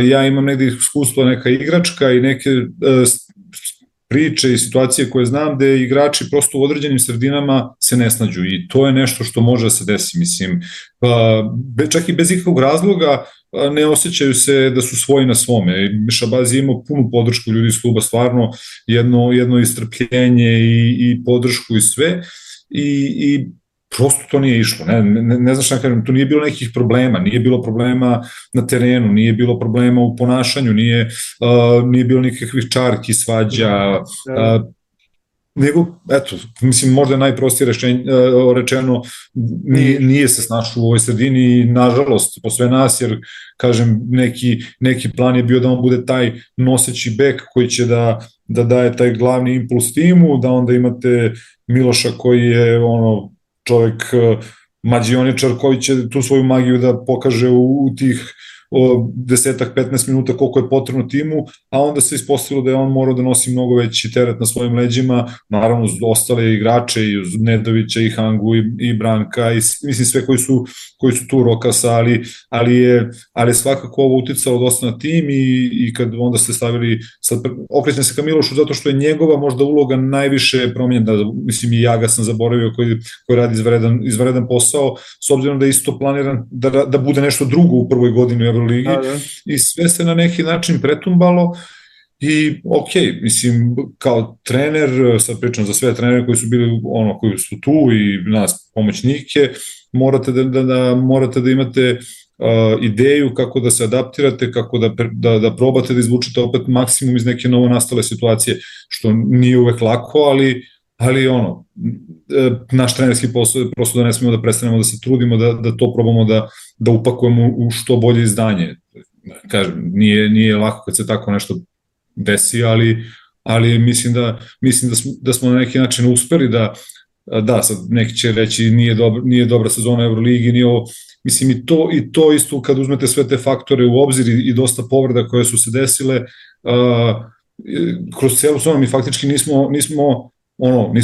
ja imam negde iskustva neka igračka i neke priče i situacije koje znam gde igrači prosto u određenim sredinama se ne snađu i to je nešto što može da se desi, mislim, čak i bez ikakvog razloga ne osjećaju se da su svoji na svome. Shabazz je imao punu podršku ljudi iz kluba, stvarno jedno istrpljenje i podršku i sve i prosto to nije išlo, ne znam šta kažem, tu nije bilo nekih problema, nije bilo problema na terenu, nije bilo problema u ponašanju, nije bilo nikakvih čarki, svađa, nego, eto, mislim, možda je najprostije rečeno, nije se snašao u ovoj sredini i, nažalost, po sve nas, jer, kažem, neki plan je bio da on bude taj noseći bek koji će da daje taj glavni impuls timu, da onda imate Miloša koji je, čovjek mađioničar koji će tu svoju magiju da pokaže u tih 10-15 minuta koliko je potrebno timu, a onda se ispostavilo da je on morao da nosi mnogo veći teret na svojim leđima, naravno uz ostale igrače i uz Nedovića i Hangu i Branka i mislim sve koji su tu, Rokasa, ali je svakako ovo uticalo dosta na tim i kad onda ste stavili, okrećem se ka Milošu zato što je njegova možda uloga najviše promenjena, mislim i ja ga sam zaboravio koji radi izvredan posao, s obzirom da je isto planiran da bude nešto drugo u prvoj godini u Euroligi i sve se na neki način pretumbalo i mislim, kao trener, sad pričam za sve trenere koji su bili koji su tu i nas pomoćnike, morate da imate ideju kako da se adaptirate, kako da probate da izvučete opet maksimum iz neke novo nastale situacije, što nije uvek lako, ali naš trenerski posao je prosto da ne smemo da prestanemo da se trudimo, da to probamo da upakujemo u što bolje izdanje. Kažem, nije lako kad se tako nešto desi, ali mislim da smo na neki način uspeli da sad neki će reći nije dobra sezona Euroligi, nije ovo, mislim i to isto kad uzmete sve te faktore u obzir i dosta povreda koje su se desile, kroz celu sezonu mi faktički nismo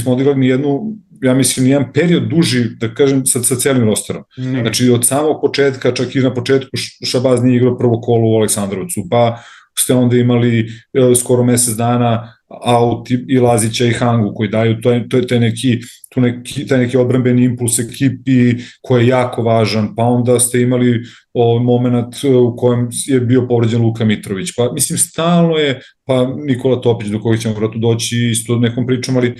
odigrali ni jednu, ja mislim, nijedan period duži, da kažem, sa celim rosterom. Znači, od samog početka, čak i na početku Šabaz nije igrao prvo kolo u Aleksandrovcu, pa ste onda imali skoro mesec dana Aut i Lazića i Hangu koji daju taj neki odbrambeni impuls ekipi koji je jako važan, pa onda ste imali moment u kojem je bio povređen Luka Mitrović, pa mislim stalno je, pa Nikola Topić do kojeg ćemo vratu doći isto nekom pričom, ali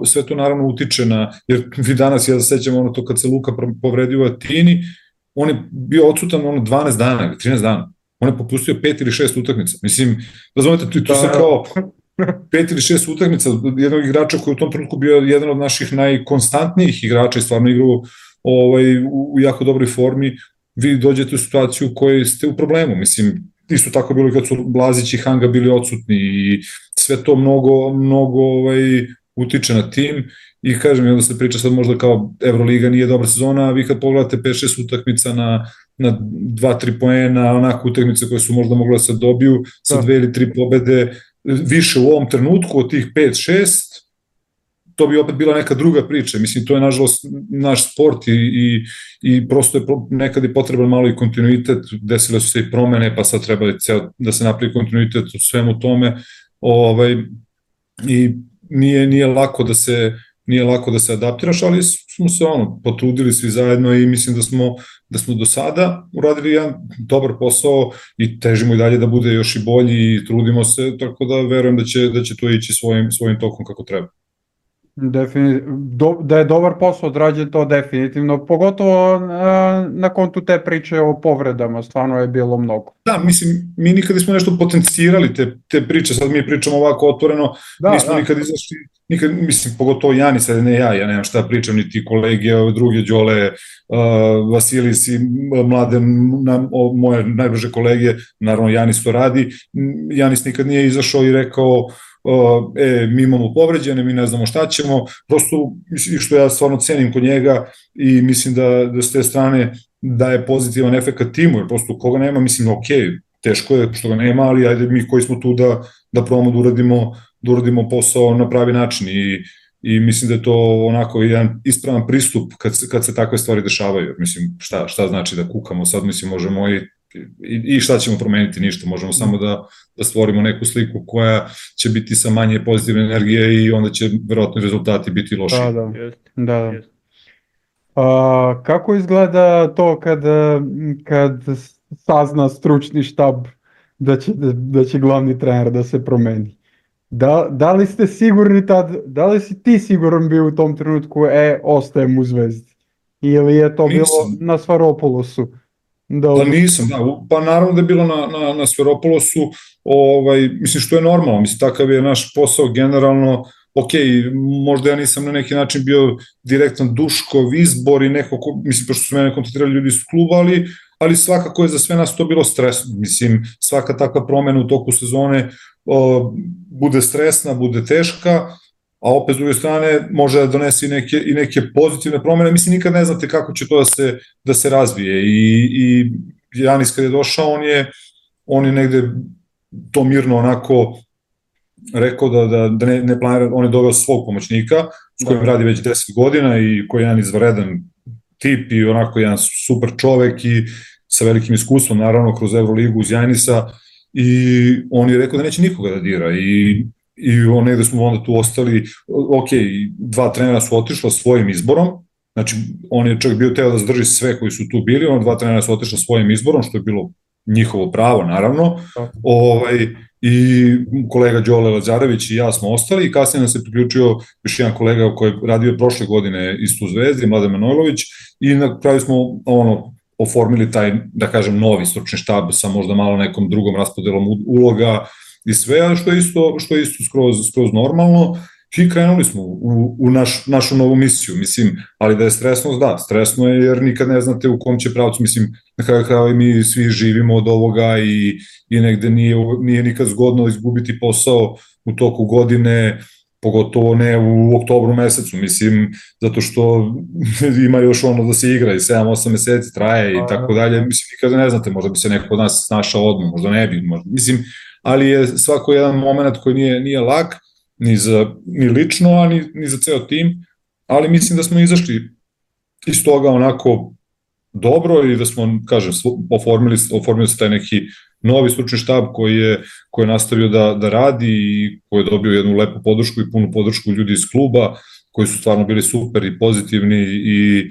sve to naravno utiče jer vi danas, ja se sećam to kad se Luka povredio u Atini, on je bio odsutan 12 dana ili 13 dana, on je popustio 5 ili 6 utakmica, mislim, razumete, tu se kao 5 ili 6 utakmica jednog igrača koji u tom trenutku bio jedan od naših najkonstantnijih igrača i stvarno igrao u jako dobroj formi, vi dođete u situaciju u kojoj ste u problemu, mislim, isto tako bilo kad su Lazić i Hanga bili odsutni i sve to mnogo utiče na tim i kažem, onda se priča sad možda kao Euroliga nije dobra sezona, a vi kad pogledate 5-6 utakmica na 2-3 poena, onako utakmice koje su možda mogle da se dobiju sa 2 ili 3 pobede, više u ovom trenutku od tih 5-6, to bi opet bila neka druga priča. Mislim, to je nažalost naš sport i prosto je nekad i potreban malo i kontinuitet, desile su se i promene, pa sad treba da se napravi kontinuitet u svemu tome i nije lako da se adaptiraš, ali smo se potrudili svi zajedno i mislim da smo do sada uradili jedan dobar posao i težimo i dalje da bude još i bolji i trudimo se, tako da verujem da će to ići svojim tokom kako treba. Da je dobar posao odrađen, to definitivno, pogotovo na kontu te priče o povredama, stvarno je bilo mnogo. Da, mislim, mi nikad nismo nešto potencirali te priče, sad mi pričamo ovako otvoreno, nismo nikad izašli, mislim, pogotovo Janis, ne ja nemam šta pričam, niti kolege, druge Đole, Vasilis i Mladen, moje najbliže kolege, naravno Janis to radi, Janis nikad nije izašao i rekao mi imamo povređene, mi ne znamo šta ćemo, prosto što ja stvarno cenim kod njega i mislim da s te strane daje pozitivan efekt timu, jer prosto koga nema, mislim, teško je što ga nema, ali ajde mi koji smo tu da probamo da uradimo posao na pravi način i mislim da je to onako jedan ispravan pristup kad se takve stvari dešavaju, mislim, šta znači da kukamo sad, mislim, možemo i šta ćemo promeniti, ništa, možemo samo da stvorimo neku sliku koja će biti sa manje pozitivne energije i onda će verovatno rezultati biti loši. Da. Kako izgleda to kad sazna stručni štab da će glavni trener da se promeni? Da li ste sigurni da li si ti siguran bio u tom trenutku ostajem u Zvezdi? Ili je to bilo na Svaropolosu? Pa nisam, pa naravno da je bilo na Sferopolosu, mislim što je normalno, mislim takav je naš posao generalno, možda ja nisam na neki način bio direktan Duškov izbor i neko, mislim pošto su mene kontaktirali ljudi iz kluba, ali svakako je za sve nas to bilo stresno, mislim svaka takva promena u toku sezone bude stresna, bude teška, a opet s druge strane može da donese i neke pozitivne promene, mislim nikad ne znate kako će to da se razvije i Janis kad je došao on je negde to mirno onako rekao da ne planira, on je doveo svog pomoćnika s kojim radi već 10 godina i koji je jedan izvaredan tip i onako jedan super čovek i sa velikim iskustvom naravno kroz Euroligu uz Janisa i on je rekao da neće nikoga da dira i negde smo onda tu ostali, dva trenera su otišla svojim izborom, znači on je čak bio teo da zadrži sve koji su tu bili, dva trenera su otišla svojim izborom, što je bilo njihovo pravo naravno, i kolega Đole Lazarević i ja smo ostali i kasnije nam se priključio još jedan kolega koji je radio prošle godine isto u Zvezdi, Mladen Manojlović, i na kraju smo oformili taj, da kažem, novi stručni štab sa možda malo nekom drugom raspodelom uloga i sve, a što je isto skroz normalno. I krenuli smo u našu novu misiju, mislim, ali da je stresno, da, stresno je jer nikad ne znate u kom će pravcu, mislim, na kraju krajeva i mi svi živimo od ovoga i negde nije nikad zgodno izgubiti posao u toku godine, pogotovo ne u oktobru mesecu, mislim, zato što ima još ono da se igra i 7-8 meseci traje i tako dalje, mislim, nikada ne znate, možda bi se neko od nas snašao odmah, možda ne bi, možda, mislim, ali je svako jedan moment koji nije lak, ni lično, a ni za ceo tim, ali mislim da smo izašli iz toga onako dobro i da smo, kažem, oformili se taj neki novi stručni štab koji je nastavio da radi i koji je dobio jednu lepu podršku i punu podršku ljudi iz kluba, koji su stvarno bili super i pozitivni i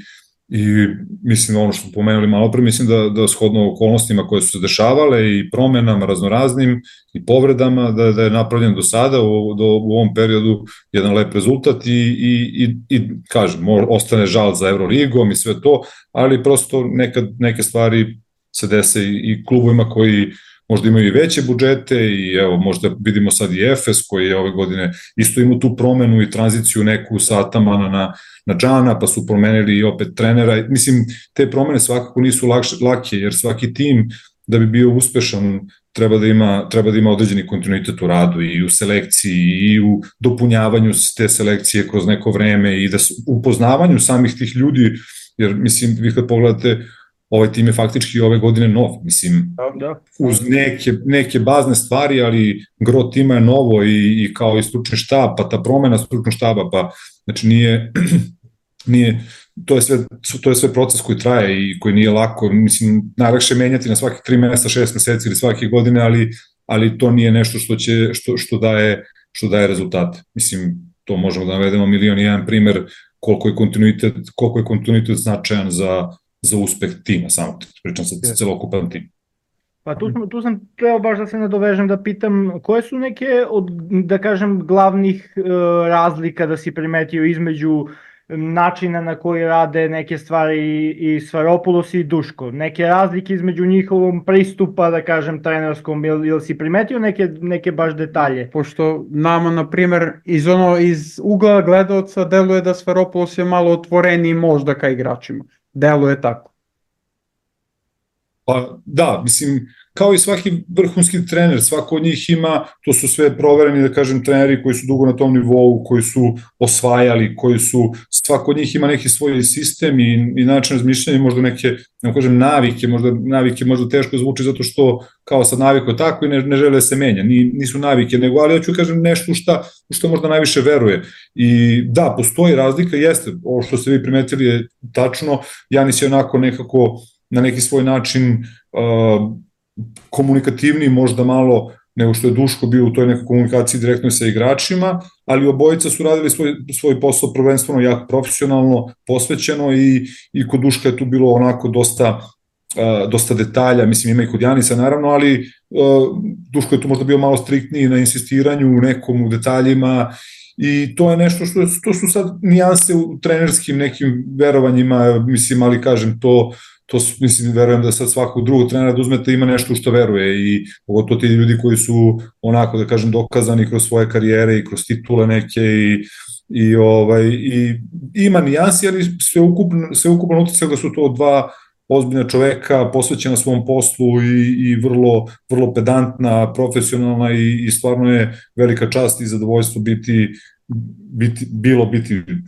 mislim ono što smo pomenuli malo pre, mislim da shodno okolnostima koje su se dešavale i promenama raznoraznim i povredama, da je napravljen do sada u ovom periodu jedan lep rezultat i kažem, ostane žal za Euroligom i sve to, ali prosto neke stvari se dese i klubovima koji možda imaju i veće budžete i evo možda vidimo sad i Efes koji je ove godine isto imao tu promenu i tranziciju neku sa Atamana na Džana, pa su promenili i opet trenera. Mislim, te promene svakako nisu lake jer svaki tim da bi bio uspešan treba da ima određeni kontinuitet u radu i u selekciji i u dopunjavanju te selekcije kroz neko vreme i da u poznavanju samih tih ljudi, jer mislim, vi kad pogledate ovaj tim je faktički ove godine nov, mislim, uz neke bazne stvari, ali gro tima je novo i kao i stručni štab, pa ta promena stručnog štaba, pa znači nije to je sve proces koji traje i koji nije lako, mislim, najlakše menjati na svaki 3 meseca, 6 meseci ili svake godine, ali to nije nešto što daje rezultate. Mislim, to možemo da navedemo milion i jedan primer koliko je kontinuitet značajan za uspeh tima, samo pričam sa celokupan tim. Pa tu sam trebao baš da se nadovežem da pitam koje su neke od, da kažem, glavnih razlika da si primetio između načina na koji rade neke stvari i Sfairopoulos i Duško, neke razlike između njihovom pristupa, da kažem, trenerskom, ili si primetio neke baš detalje? Pošto nama, na primer, iz ugla gledaoca deluje da Sfairopoulos je malo otvoreniji možda ka igračima. Deluje tako. Pa da, mislim, kao i svaki vrhunski trener, svako od njih ima, to su sve provereni, da kažem, treneri koji su dugo na tom nivou, koji su osvajali, svako od njih ima neki svoj sistem i način razmišljanja, možda neke, ne kažem, navike možda teško zvuči zato što kao sad naviko tako i ne žele da se menja, nisu navike, nego, ali ja ću kažem nešto što možda najviše veruje. I da, postoji razlika, jeste, ovo što ste vi primetili je tačno, Janis je onako nekako na neki svoj način komunikativniji možda malo nego što je Duško bio u toj nekoj komunikaciji direktno sa igračima, ali obojica su radili svoj posao prvenstveno jako profesionalno, posvećeno i kod Duška je tu bilo onako dosta detalja, mislim ima i kod Janisa naravno, ali Duško je tu možda bio malo striktniji na insistiranju u detaljima i to je nešto to su sad nijanse u trenerskim nekim verovanjima, mislim, ali kažem to mislim, verujem da sad svakog drugog trenera da uzmete ima nešto u što veruje i pogotovo ti ljudi koji su onako, da kažem, dokazani kroz svoje karijere i kroz titule neke i ima nijansi, ali sveukupno utisak da su to dva ozbiljna čoveka, posvećena svom poslu i vrlo pedantna, profesionalna i stvarno je velika čast i zadovoljstvo biti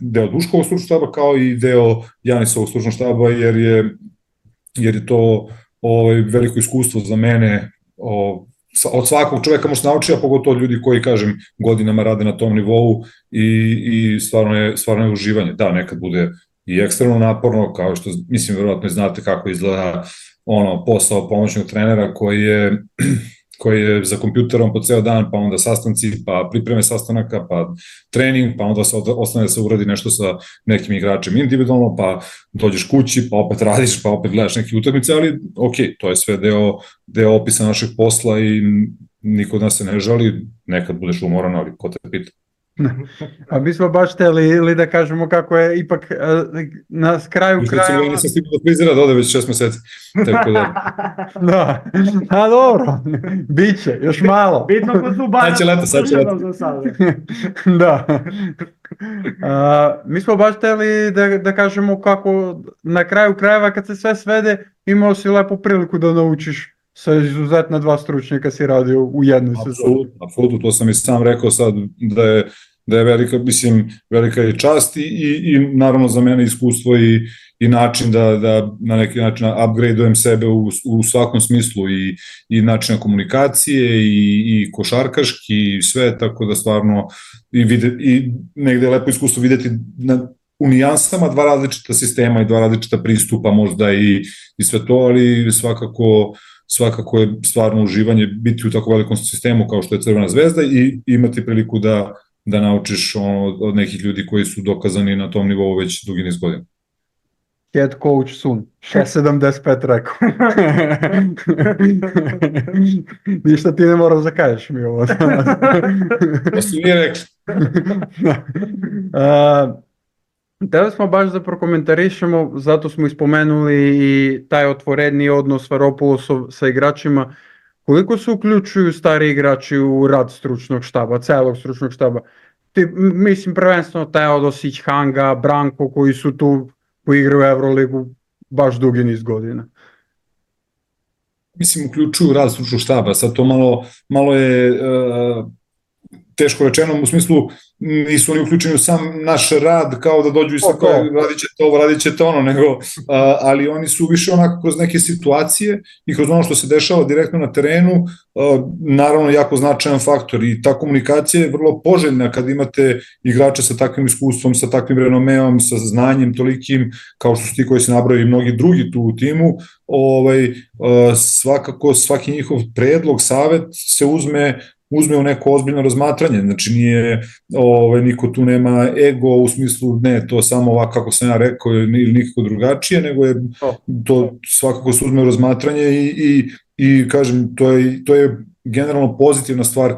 deo Duškovog stručnog štaba kao i deo Janisovog stručnog štaba jer je to veliko iskustvo za mene, od svakog čoveka možda nauči, a pogotovo ljudi koji, kažem, godinama rade na tom nivou i stvarno je uživanje. Da, nekad bude i ekstremno naporno, kao što, mislim, verovatno znate kako izgleda posao pomoćnog trenera koji je za kompjuterom po ceo dan, pa onda sastanci, pa pripreme sastanaka, pa trening, pa onda se ostane da se uradi nešto sa nekim igračem individualno, pa dođeš kući, pa opet radiš, pa opet gledaš neke utakmice, ali ok, to je sve deo opisa našeg posla i niko od nas se ne žali, nekad budeš umoran, ali ko te pita. A mi smo baš hteli ili da kažemo kako je ipak na kraju Recimo, ja nisam stigao do frizera da ode već 6 meseci. Tako da... Da, a dobro, biće, još malo. Bitno ko su Sad će leto, sad će leto. Da. Mi smo baš hteli da kažemo kako na kraju krajeva kad se sve svede imao si lepu priliku da naučiš sa izuzetno 2 stručnjaka si radio u jednoj sezoni. Apsolutno, to sam i sam rekao sad da je velika, mislim, velika je čast i naravno za mene iskustvo i način da na neki način upgradeujem sebe u svakom smislu i načina komunikacije i košarkaški i sve, tako da stvarno i negde je lepo iskustvo videti u nijansama 2 različita sistema i 2 različita pristupa možda i sve to, ali svakako je stvarno uživanje biti u tako velikom sistemu kao što je Crvena zvezda i imati priliku da naučiš od nekih ljudi koji su dokazani na tom nivou već dugi niz godina. Head coach Sun, 6.75 rekao. Ništa ti ne moraš da kažeš mi ovo. To si nije rekli. Hteli smo baš da prokomentarišemo, zato smo ispomenuli i taj otvoreniji odnos Svaropulosov sa igračima. Koliko se uključuju stari igrači u rad stručnog štaba, celog stručnog štaba? Mislim prvenstveno Teodosić, Hanga, Branko koji su tu, koji igraju u Euroligu baš dugi niz godina. Mislim, uključuju rad stručnog štaba, sad to malo je teško rečeno, u smislu nisu oni uključeni u sam naš rad kao da dođu i sad kao radit ćete ono, nego, ali oni su više onako kroz neke situacije i kroz ono što se dešava direktno na terenu, naravno jako značajan faktor i ta komunikacija je vrlo poželjna kad imate igrače sa takvim iskustvom, sa takvim renomeom, sa znanjem tolikim kao što su ti koji se nabraju i mnogi drugi tu u timu, svakako svaki njihov predlog, savet se uzme u neko ozbiljno razmatranje, znači niko tu nema ego u smislu ne, to samo ovako kako sam ja rekao ili nikako drugačije, nego je to svakako se uzme u razmatranje i kažem, to je generalno pozitivna stvar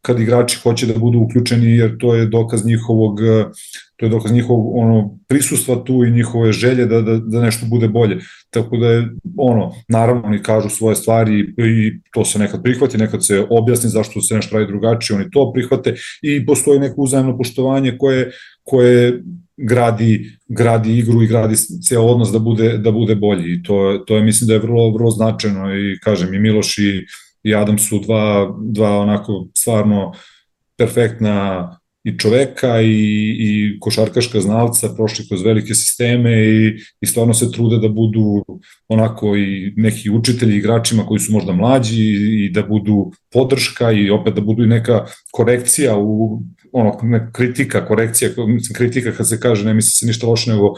kad igrači hoće da budu uključeni, jer to je dokaz njihovog prisustva tu i njihove želje da nešto bude bolje. Tako da je, naravno oni kažu svoje stvari i to se nekad prihvati, nekad se objasni zašto se nešto radi drugačije, oni to prihvate i postoji neko uzajemno poštovanje koje gradi igru i gradi ceo odnos da bude bolji i to je mislim da je vrlo, vrlo značajno i kažem i Miloš i Adam su dva onako stvarno perfektna i čoveka i košarkaška znalca, prošli kroz velike sisteme i stvarno se trude da budu onako i neki učitelji igračima koji su možda mlađi i da budu podrška i opet da budu i neka korekcija kritika kad se kaže, ne misli se ništa loše, nego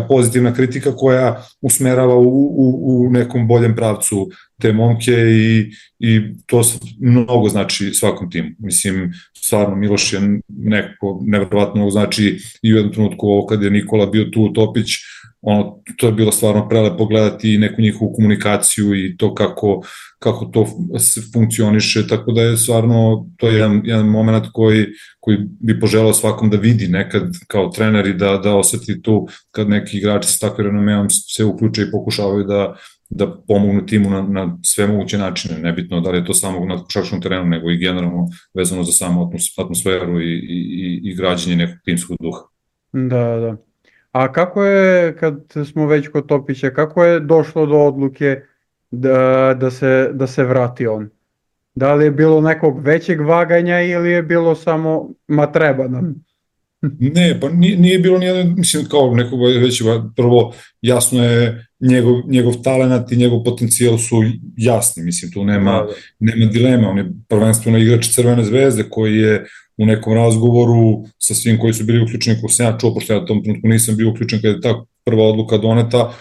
pozitivna kritika koja usmerava u nekom boljem pravcu te momke i to mnogo znači svakom timu. Mislim, stvarno Miloš je neko nevjerovatno znači i u jednom trenutku ovo kad je Nikola bio tu, Topić, to je bilo stvarno prelepo gledati neku njihovu komunikaciju i to kako to funkcioniše, tako da je stvarno to je jedan moment koji bi poželao svakom da vidi nekad kao trener i da oseti tu kad neki igrači sa takvim renomeom se uključe i pokušavaju da pomognu timu na sve moguće načine, nebitno da li je to samo na košarkaškom terenu, nego i generalno vezano za samu atmosferu i građenje nekog timskog duha. Da. A kako je, kad smo već kod Topića, kako je došlo do odluke da se vrati on? Da li je bilo nekog većeg vaganja ili je bilo samo treba nam? Ne, pa nije bilo nijedan, mislim kao nekog većeg, prvo jasno je njegov talenat i njegov potencijal su jasni, mislim tu nema dilema, on je prvenstveno igrač Crvene zvezde koji je u nekom razgovoru sa svim koji su bili uključeni, kako sam ja čuo, pošto ja u tom trenutku nisam bio uključen kada je ta prva odluka doneta,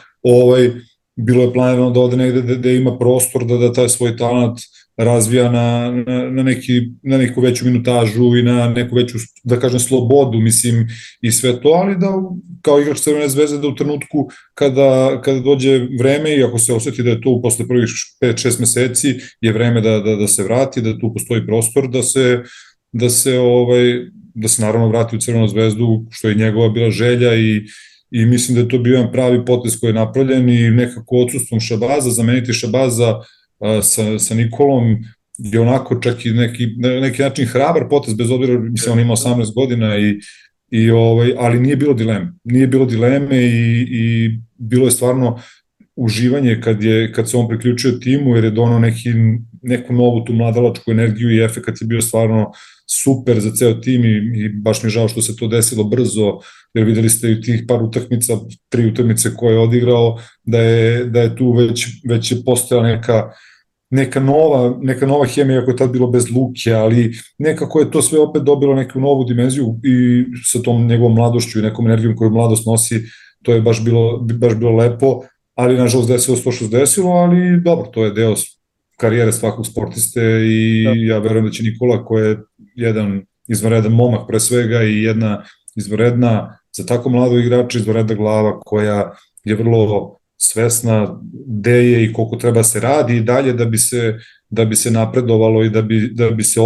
bilo je planirano da ode negde da ima prostor da taj svoj talent razvija na neku veću minutažu i na neku veću, da kažem, slobodu, mislim, i sve to, ali da kao igrač Crvene zvezde da u trenutku kada dođe vreme i ako se osjeti da je to posle prvih 5-6 meseci je vreme da se vrati, da tu postoji prostor da se naravno vrati u Crvenu zvezdu, što je njegova bila želja i mislim da je to bio jedan pravi potez koji je napravljen i nekako odsustvom Šabaza, zameniti Šabaza sa Nikolom je onako čak i neki način hrabar potez, bez obzira, mislim, on ima 18 godina ali nije bilo dileme. Nije bilo dileme i bilo je stvarno uživanje kad se on priključio timu, jer je donao neku novu tu mladalačku energiju i efekat je bio stvarno super za ceo tim i baš mi je žao što se to desilo brzo, jer videli ste i tih par utakmica, 3 utakmice koje je odigrao, da je tu već postojala neka nova hemija koja je tad bilo bez Luke, ali nekako je to sve opet dobilo neku novu dimenziju i sa tom njegovom mladošću i nekom energijom koju mladost nosi, to je baš bilo lepo, ali nažalost desilo što se desilo, ali dobro, to je deo karijere svakog sportiste i ja verujem da će Nikola, ko je jedan izvanredan momak pre svega i jedna izvanredna, za tako mlado igrača, izvanredna glava koja je vrlo svesna gde je i koliko treba se radi i dalje da bi se napredovalo i da bi se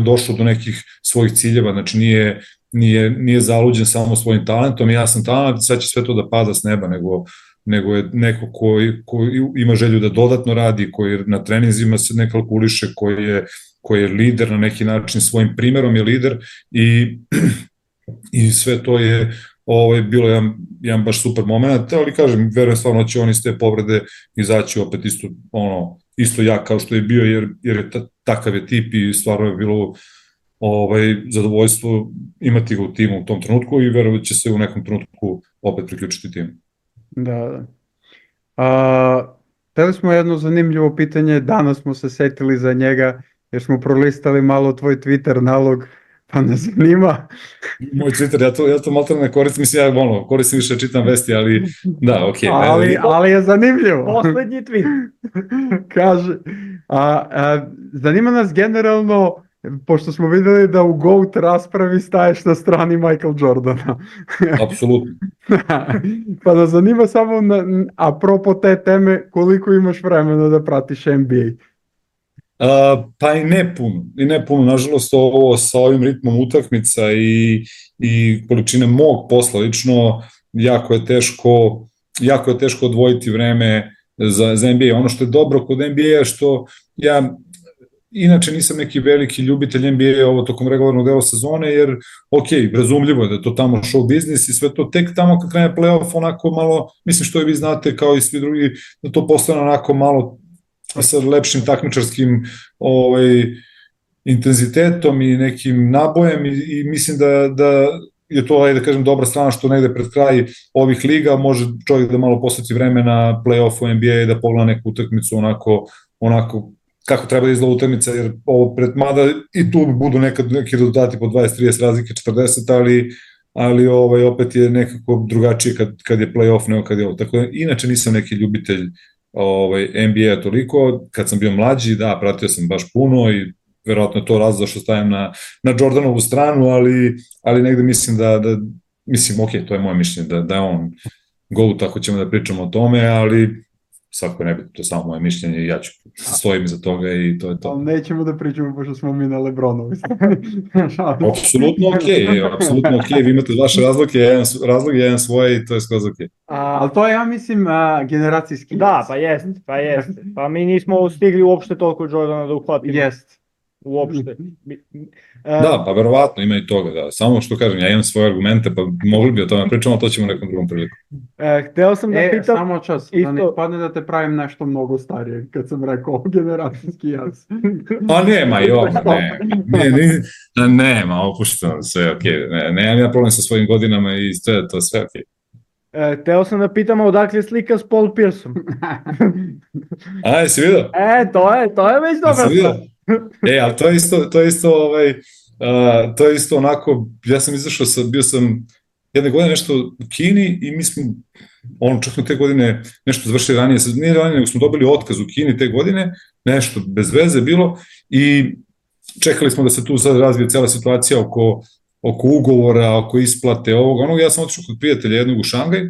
došlo do nekih svojih ciljeva, znači nije zaluđen samo svojim talentom, ja sam talent, sad će sve to da pada s neba, nego je neko ko ima želju da dodatno radi, koji na treninzima se ne kalkuliše, koji je lider na neki način, svojim primerom je lider i sve to je bilo jedan baš super moment, ali kažem, verujem stvarno će on iz te povrede izaći opet isto jak kao što je bio, jer je takav je tip i stvarno je bilo zadovoljstvo imati ga u timu u tom trenutku i verujem da će se u nekom trenutku opet priključiti timu. Da. Hteli smo jedno zanimljivo pitanje, danas smo se setili za njega jer smo prolistali malo tvoj Twitter nalog, pa nas zanima. Moj Twitter, ja to malo ne koristim, mislim, ja koristim više, čitam vesti, ali da, okej. Ali je zanimljivo. Poslednji tweet. Kaže, zanima nas generalno, pošto smo videli da u GOAT raspravi staješ na strani Michael Jordana. Apsolutno. Pa nas zanima samo, apropo te teme, koliko imaš vremena da pratiš NBA? Pa i ne puno, nažalost sa ovim ritmom utakmica i količine mog posla lično, jako je teško odvojiti vreme za NBA. Ono što je dobro kod NBA je što ja inače nisam neki veliki ljubitelj NBA ovo tokom regularnog dela sezone, jer razumljivo je da je to tamo show biznis i sve to tek tamo kad krene playoff onako malo, mislim što i vi znate kao i svi drugi, da to postane onako malo sa lepšim takmičarskim intenzitetom i nekim nabojem i mislim da je to, da kažem, dobra strana što negde pred kraj ovih liga može čovjek da malo posveti vreme na play-offu NBA i da pogleda neku utakmicu onako kako treba da izgleda utakmica, jer mada i tu budu neki rezultati po 20-30 razlike, 40, ali opet je nekako drugačije kad je play-off nego kad je ovo. Tako da, inače nisam neki ljubitelj NBA toliko, kad sam bio mlađi, da, pratio sam baš puno i verovatno je to razlog što stavim na Jordanovu stranu, ali negde mislim mislim, to je moje mišljenje, da je on GOAT, ako ćemo da pričamo o tome, ali svako je nebitno, to je samo moje mišljenje i ja ću stojim iza toga i to je to. Ali nećemo da pričamo pošto smo mi na Lebronovi. Apsolutno okej, vi imate vaše razloge, jedan svoje i to je skroz okej. Ali to je, ja mislim, generacijski. Da, pa jest. Pa mi nismo stigli uopšte toliko Jordana da uhvatimo. Jest. Uopšte. Da, pa verovatno ima i toga, da. Samo što kažem, ja imam svoje argumente, pa mogli bi o tome pričamo, to ćemo nekom drugom priliku. Hteo sam da pitam... Samo čas, da ne padne da te pravim nešto mnogo starije, kad sam rekao generacijski jaz. A nema, nema, opušteno, sve okej, nemam ja problem sa svojim godinama i to sve okej. Hteo sam da pitam odakle je slika s Paul Pierceom. A, jesi vidio? To je već dobra stvar. Ali to je isto onako, ja sam izašao, bio sam jedne godine nešto u Kini i mi smo, čak smo te godine nešto završili ranije, nije ranije, nego smo dobili otkaz u Kini te godine, nešto bez veze bilo i čekali smo da se tu sad razvije cela situacija oko ugovora, oko isplate ovoga, ja sam otišao kod prijatelja jednog u Šangaj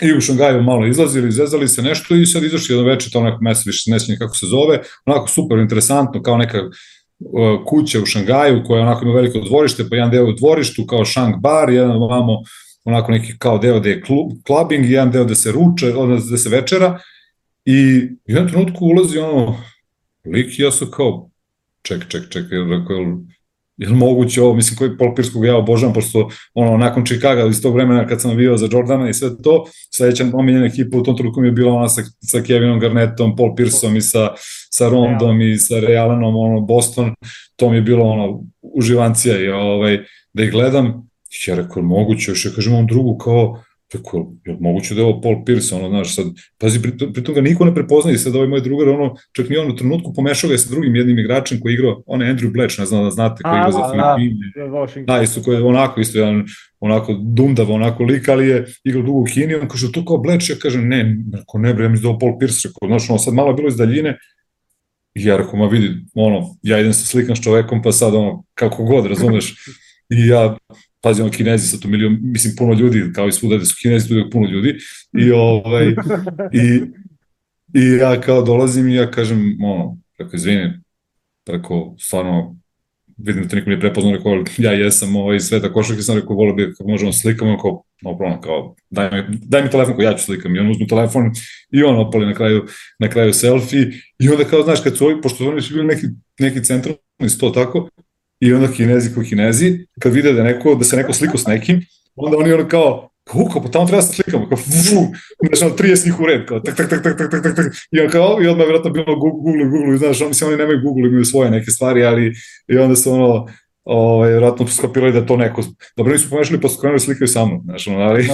i u Šangaju malo izlazili, izvezali se nešto i sad izašli jedno večer, to onako mesec više ne sjećam kako se zove, onako super interesantno, kao neka kuća u Šangaju koja onako ima veliko dvorište, pa jedan deo u dvorištu kao Shang bar, jedan ovamo onako neki kao deo gde je clubbing, jedan deo gde se ruče, gde se večera i u jednom trenutku ulazi ono lik i ja sam kao ček, je li moguće ovo, mislim koji Paul Pierce koga ja obožavam, pošto ono, nakon Chicaga iz tog vremena kad sam navijao za Jordana i sve to, sledeća omiljena ekipa u tom trenutku mi je bila ona sa Kevinom Garnettom, Paul Pierceom i sa Rondom i sa Ray Allenom, ono, Boston, to mi je bilo ono, uživancija i da ih gledam, ja rekao, moguće, još ja kažem ovom drugu kao, tako, je moguće da je ovo Paul Pierce, ono, znaš, sad, pazi, pritom ga niko ne prepoznaje, sad ovaj moj drugar, ono, čak ni on u trenutku pomešao ga je sa drugim jednim igračem koji je igrao, on je Andrew Bletch, ne znam da znate, koji je igrao za Filipine. Da, isto koji je onako, isto jedan, onako dumdav, onako lik, ali je igrao dugo u Kini, on kaže, to kao Bletch, ja kažem, ne, ja mislim da ovo Paul Pierce, rekao, znaš, ono, sad malo je bilo iz daljine, i ja rekao, ma vidi, ono, ja idem se slikam s čovekom, pa sad, ono, kako god, razumeš, i ja, pazi, ono, Kinezi sa to milion, mislim, puno ljudi, kao i svuda, da su Kinezi, tu je puno ljudi, i ja kao dolazim i ja kažem, ono, preko, izvini, preko, stvarno, vidim da te niko nije prepoznao, rekao, ja jesam Sveta košarke, sam rekao, volio bi kako možemo slikamo, no problem, kao, daj mi telefon, ja ću slikam, i on uzme telefon i on opali na kraju selfie, i onda kao, znaš, kad su ovi, pošto oni su bili neki centralni sto tako, i onda Kinezi, kad vide da se neko sliko s nekim, onda oni ono kao pa tamo treba se slikamo, kao znači 30 njih u red, kao tak, i on kao, i odmah vjerojatno bilo Google, znaš, mislim, oni nemaju Google, imaju svoje neke stvari, ali i onda su ono, vjerojatno skapirali da to neko, dobro nisu pomešali pa su krenuli slikaju sa mnom, znaš, ono, ali...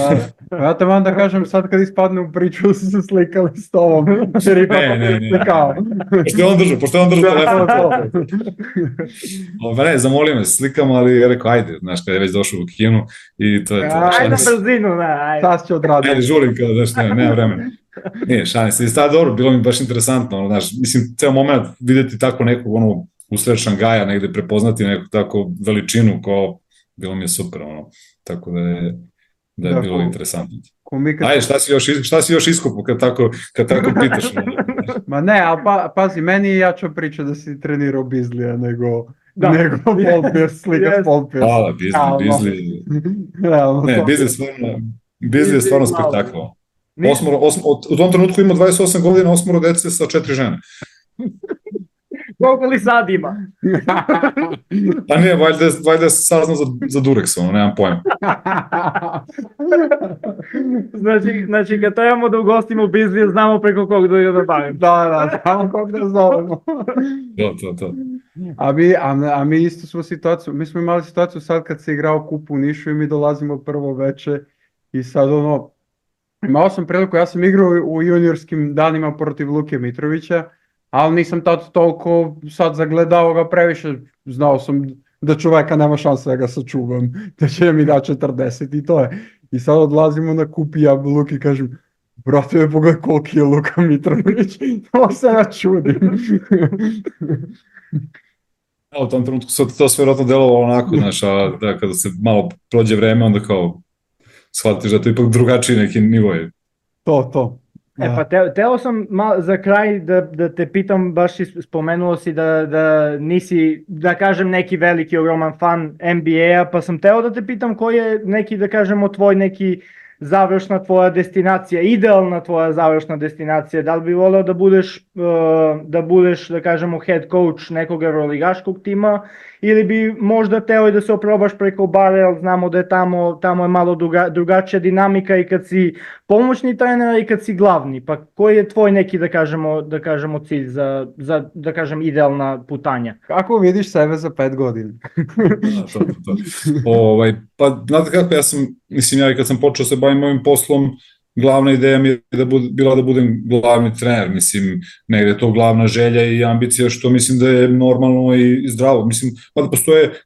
Ja te vam da kažem, sad kad ispadne u priču su se slikali s tobom, jer ipak slikao. Pošto je on držao telefon. Ne, zamolio me, slikamo, ali ja rekao, ajde, znaš, kada je već došao u kinu i to je to. Ajde na brzinu, ajde. Sad će odraditi. Ajde, žurim, kao, znaš, nema vremena. Nije, šalim se, i sada dobro, bilo mi baš interesantno, znaš, mislim, ceo moment videti tako nekog, ono, usred Šangaja, negde prepoznati neku tako veličinu, kao, bilo mi je super, ono, tako da je bilo interesantno. Ajde, šta si još iskupao kad tako pitaš? Ma ne, ali pazi, meni je jača priča da si trenirao Bizlija nego Paul Pierce, slika s Paul Pierce. Hvala, Bizli. Ne, Bizli je stvarno spektakl. U tom trenutku ima 28 godina, 8 dece sa 4 žene. Koliko li sad ima? Pa nije, valjda je saznao za Durex, ono, nemam pojma. Znači, kad trebamo da ugostimo Bizlija, znamo preko kog da bavim. Da, znamo kog da zovemo. To. A mi isto smo situaciju, mi smo imali situaciju sad kad se igrao kup u Nišu i mi dolazimo prvo veče i sad ono, imao sam priliku, ja sam igrao u juniorskim danima protiv Luke Mitrovića, ali nisam tad toliko sad zagledao ga previše, znao sam da čoveka nema šanse da ga sačuvam, da će mi da 40 i to je. I sad odlazimo na kup i ja Luki kažem, brate me pogledaj koliki je Luka Mitrović, to se ja čudim. U tom trenutku to sve vjerojatno delovalo onako, znaš, a da kada se malo prođe vreme, onda kao shvatiš da to ipak drugačiji neki nivo je. To. Pa teo sam za kraj da te pitam, baš spomenuo si da nisi, da kažem, neki veliki, ogroman fan NBA-a, pa sam teo da te pitam koji je neki, da kažemo, tvoj neki završna tvoja destinacija, idealna tvoja završna destinacija, da li bi voleo da budeš, da kažemo, head coach nekog euroligaškog tima, ili bi možda teo i da se oprobaš preko bara, jer znamo da je tamo je malo drugačija dinamika i kad si pomoćni trener i kad si glavni, pa koji je tvoj neki, da kažemo, cilj za, da kažem, idealna putanja? Kako vidiš sebe za 5 godina? Pa, znate kako, ja i kad sam počeo se bavim ovim poslom, glavna ideja mi je bila da budem glavni trener, mislim, negde je to glavna želja i ambicija, što mislim da je normalno i zdravo, mislim, da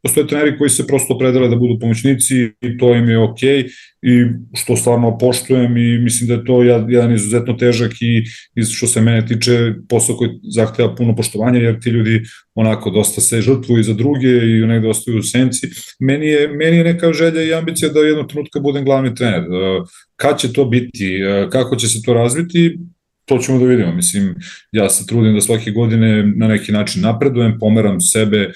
postoje treneri koji se prosto opredele da budu pomoćnici i to im je okej, i što stvarno poštujem i mislim da je to jedan izuzetno težak i što se mene tiče posao koji zahteva puno poštovanja, jer ti ljudi onako dosta se žrtvuju za druge i negde ostaju u senci. Meni je neka želja i ambicija da jednog trenutka budem glavni trener. Kad će to biti, kako će se to razviti, to ćemo da vidimo. Mislim, ja se trudim da svake godine na neki način napredujem, pomeram sebe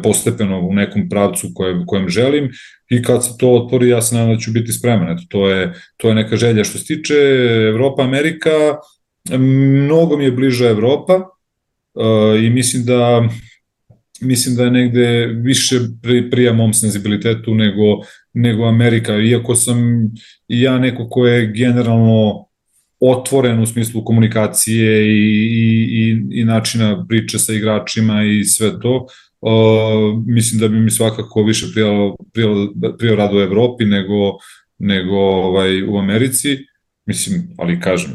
postepeno u nekom pravcu kojem želim i kad se to otvori, ja se nadam da ću biti spreman. Eto, to je neka želja. Što se tiče Evropa, Amerika, mnogo mi je bliža Evropa i mislim da je negde više prija mom senzibilitetu nego Amerika, iako sam i ja neko ko je generalno otvoren u smislu komunikacije i načina priče sa igračima i sve to. Mislim da bi mi svakako više prijao rad u Evropi nego u Americi. Mislim, ali kažem,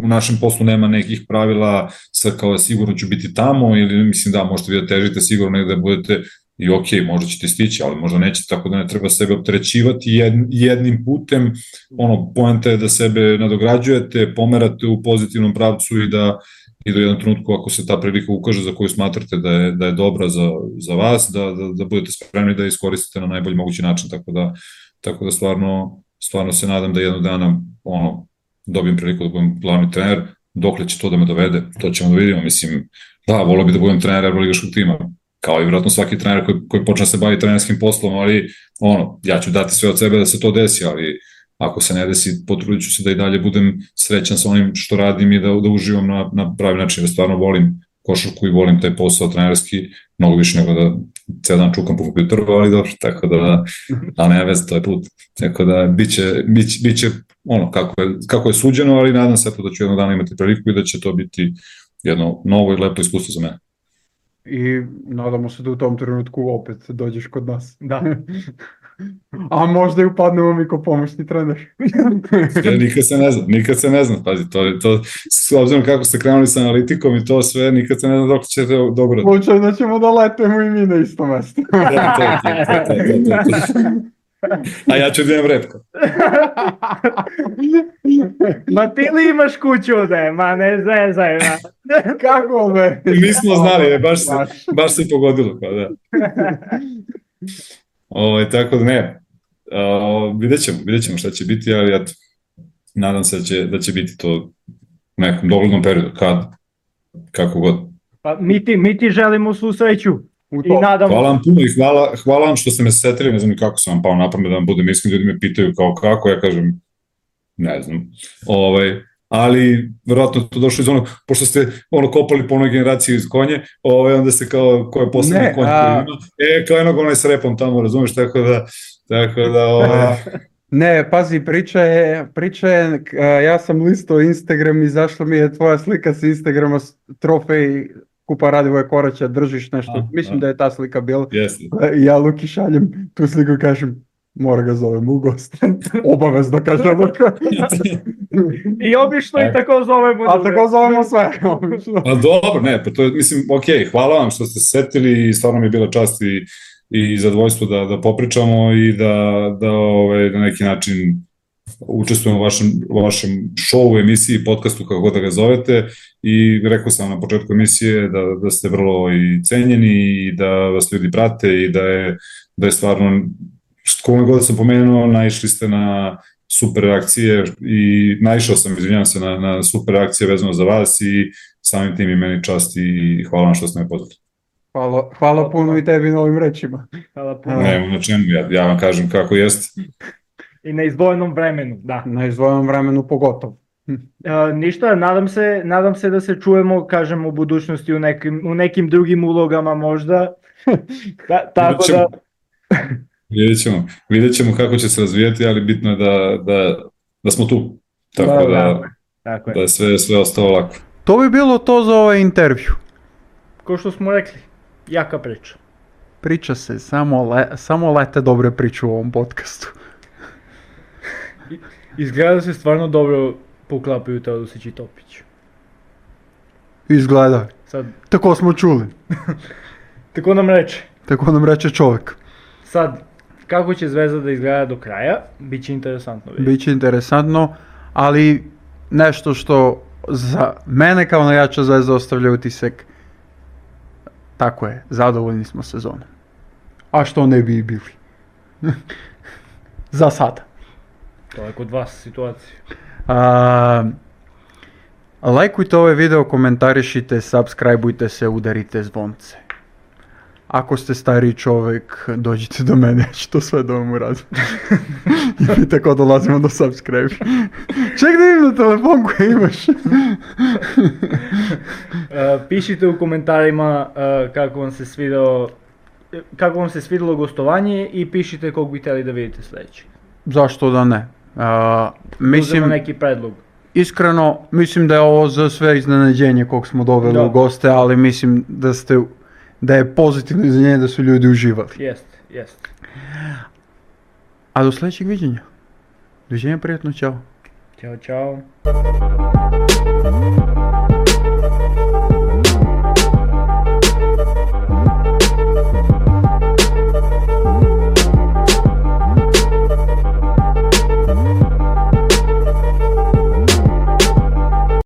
u našem poslu nema nekih pravila sa kao sigurno ću biti tamo ili mislim da možete vi da težite sigurno negde da budete i ok, možda ćete stići, ali možda nećete, tako da ne treba sebe opterećivati jednim putem. Poenta je da sebe nadograđujete, pomerate u pozitivnom pravcu i da u jednom trenutku ako se ta prilika ukaže za koju smatrate da je dobra za vas, da budete spremni da iskoristite na najbolji mogući način, tako da stvarno se nadam da jednog dana dobijem priliku da budem glavni trener, dokle će to da me dovede, to ćemo da vidimo, mislim, da, volio bi da budem trener evroligaškog tima, kao i vjerojatno svaki trener koji počne se bavi trenerskim poslom, ali ja ću dati sve od sebe da se to desi, ali ako se ne desi, potrudit ću se da i dalje budem srećan sa onim što radim i da uživam na pravi način, da stvarno volim košarku i volim taj posao trenerski, mnogo više nego da ceo dan čukam po kompjuteru, ali dobro, tako da ne veze, to je put, tako da biće kako je suđeno, ali nadam se da ću jednog dana imati priliku i da će to biti jedno novo i lepo iskustvo za mene. I nadamo se da u tom trenutku opet dođeš kod nas. Da. A možda i upadnemo mi ko pomoćni trener. Nikad se ne zna, pazi, to s obzirom kako ste krenuli sa analitikom i to sve, nikad se ne zna dok ćete dobro. Slučajno ćemo da letemo i mi na isto mesto. A ja ću da imam repko. Ma ti li imaš kuću ovde? Ma ne zezaj. Kako me? Nismo znali, baš se pogodilo. Pa da. Tako da ne, vidjet ćemo šta će biti, ali ja nadam se da će biti to u nekom doglednom periodu, kako god. Pa mi ti želimo svu sreću. Hvala vam puno i hvala vam što ste me setili, ne znam ni kako sam vam pao na pamet da vam budem iskren, ljudi me pitaju kao kako, ja kažem, ne znam, ali verovatno to došlo iz pošto ste kopali po onoj generaciji iz konje, onda se kao ko je poslednji konj koji ima, kao jednog onaj s repom tamo, razumiješ, tako da Ne, pazi, priča je, ja sam listao Instagram i zašla mi je tvoja slika s Instagrama, trofej Kupa Radivoja Koraća, držiš nešto, mislim da je ta slika bila, i ja Luki šaljem tu sliku i kažem, mora ga zovem u gost, obavezno kažem. I obično i tako zovemo. A tako zovemo sve. A dobro, ne, pa to je, mislim, hvala vam što ste se setili i stvarno mi je bila čast i zadovoljstvo da popričamo i da na neki način učestvujemo u vašem showu, emisiji, podcastu, kako god da ga zovete, i rekao sam na početku emisije da ste vrlo i cenjeni i da vas ljudi prate i da je stvarno, kome god sam pomenuo, naišli ste na super reakcije i naišao sam, izvinjam se, na super reakcije vezano za vas i samim tim i meni čast i hvala vam što ste me pozvali. Hvala puno i tebi na ovim rečima. Hvala puno. Ne, na čemu, ja vam kažem kako jeste. I na izdvojenom vremenu, da. Na izdvojenom vremenu pogotovo. Ništa, nadam se da se čujemo, kažem, u budućnosti u nekim drugim ulogama možda. Tako da... Vidjet ćemo kako će se razvijati, ali bitno je da smo tu. Tako da je sve ostalo lako. To bi bilo to za ovaj intervju. Ko što smo rekli, jaka priča. Priča se, samo lete dobre priče u ovom podcastu. Izgleda da se stvarno dobro poklapaju Teodosić i Topić. Izgleda. Tako smo čuli. Tako nam reče čovjek. Sad, kako će Zvezda da izgleda do kraja, bit će interesantno vidjeti. Biće interesantno, ali nešto što za mene kao navijača Zvezda ostavlja utisak, tako je, zadovoljni smo sezonom. A što ne bi bili? Za sada. To je kod vas situacija. Lajkujte ovaj video, komentarišite, subscribeujte se, udarite zvonce. Ako ste stariji čovjek, dođite do mene, ja ću to sve da vam uradim. I mi tako dolazimo do subscribe. Ček da vidim na telefon koji imaš. Pišite u komentarima kako vam se svidjelo gostovanje i pišite kog bi htjeli da vidite sljedeći. Zašto da ne? Uzmemo neki predlog. Iskreno, mislim da je ovo za sve iznenađenje kog smo doveli u goste, ali mislim da je pozitivno iznenađenje da su ljudi uživali. Jest. A do sljedećeg viđenja. Doviđenja, prijatno, čao. Ćao.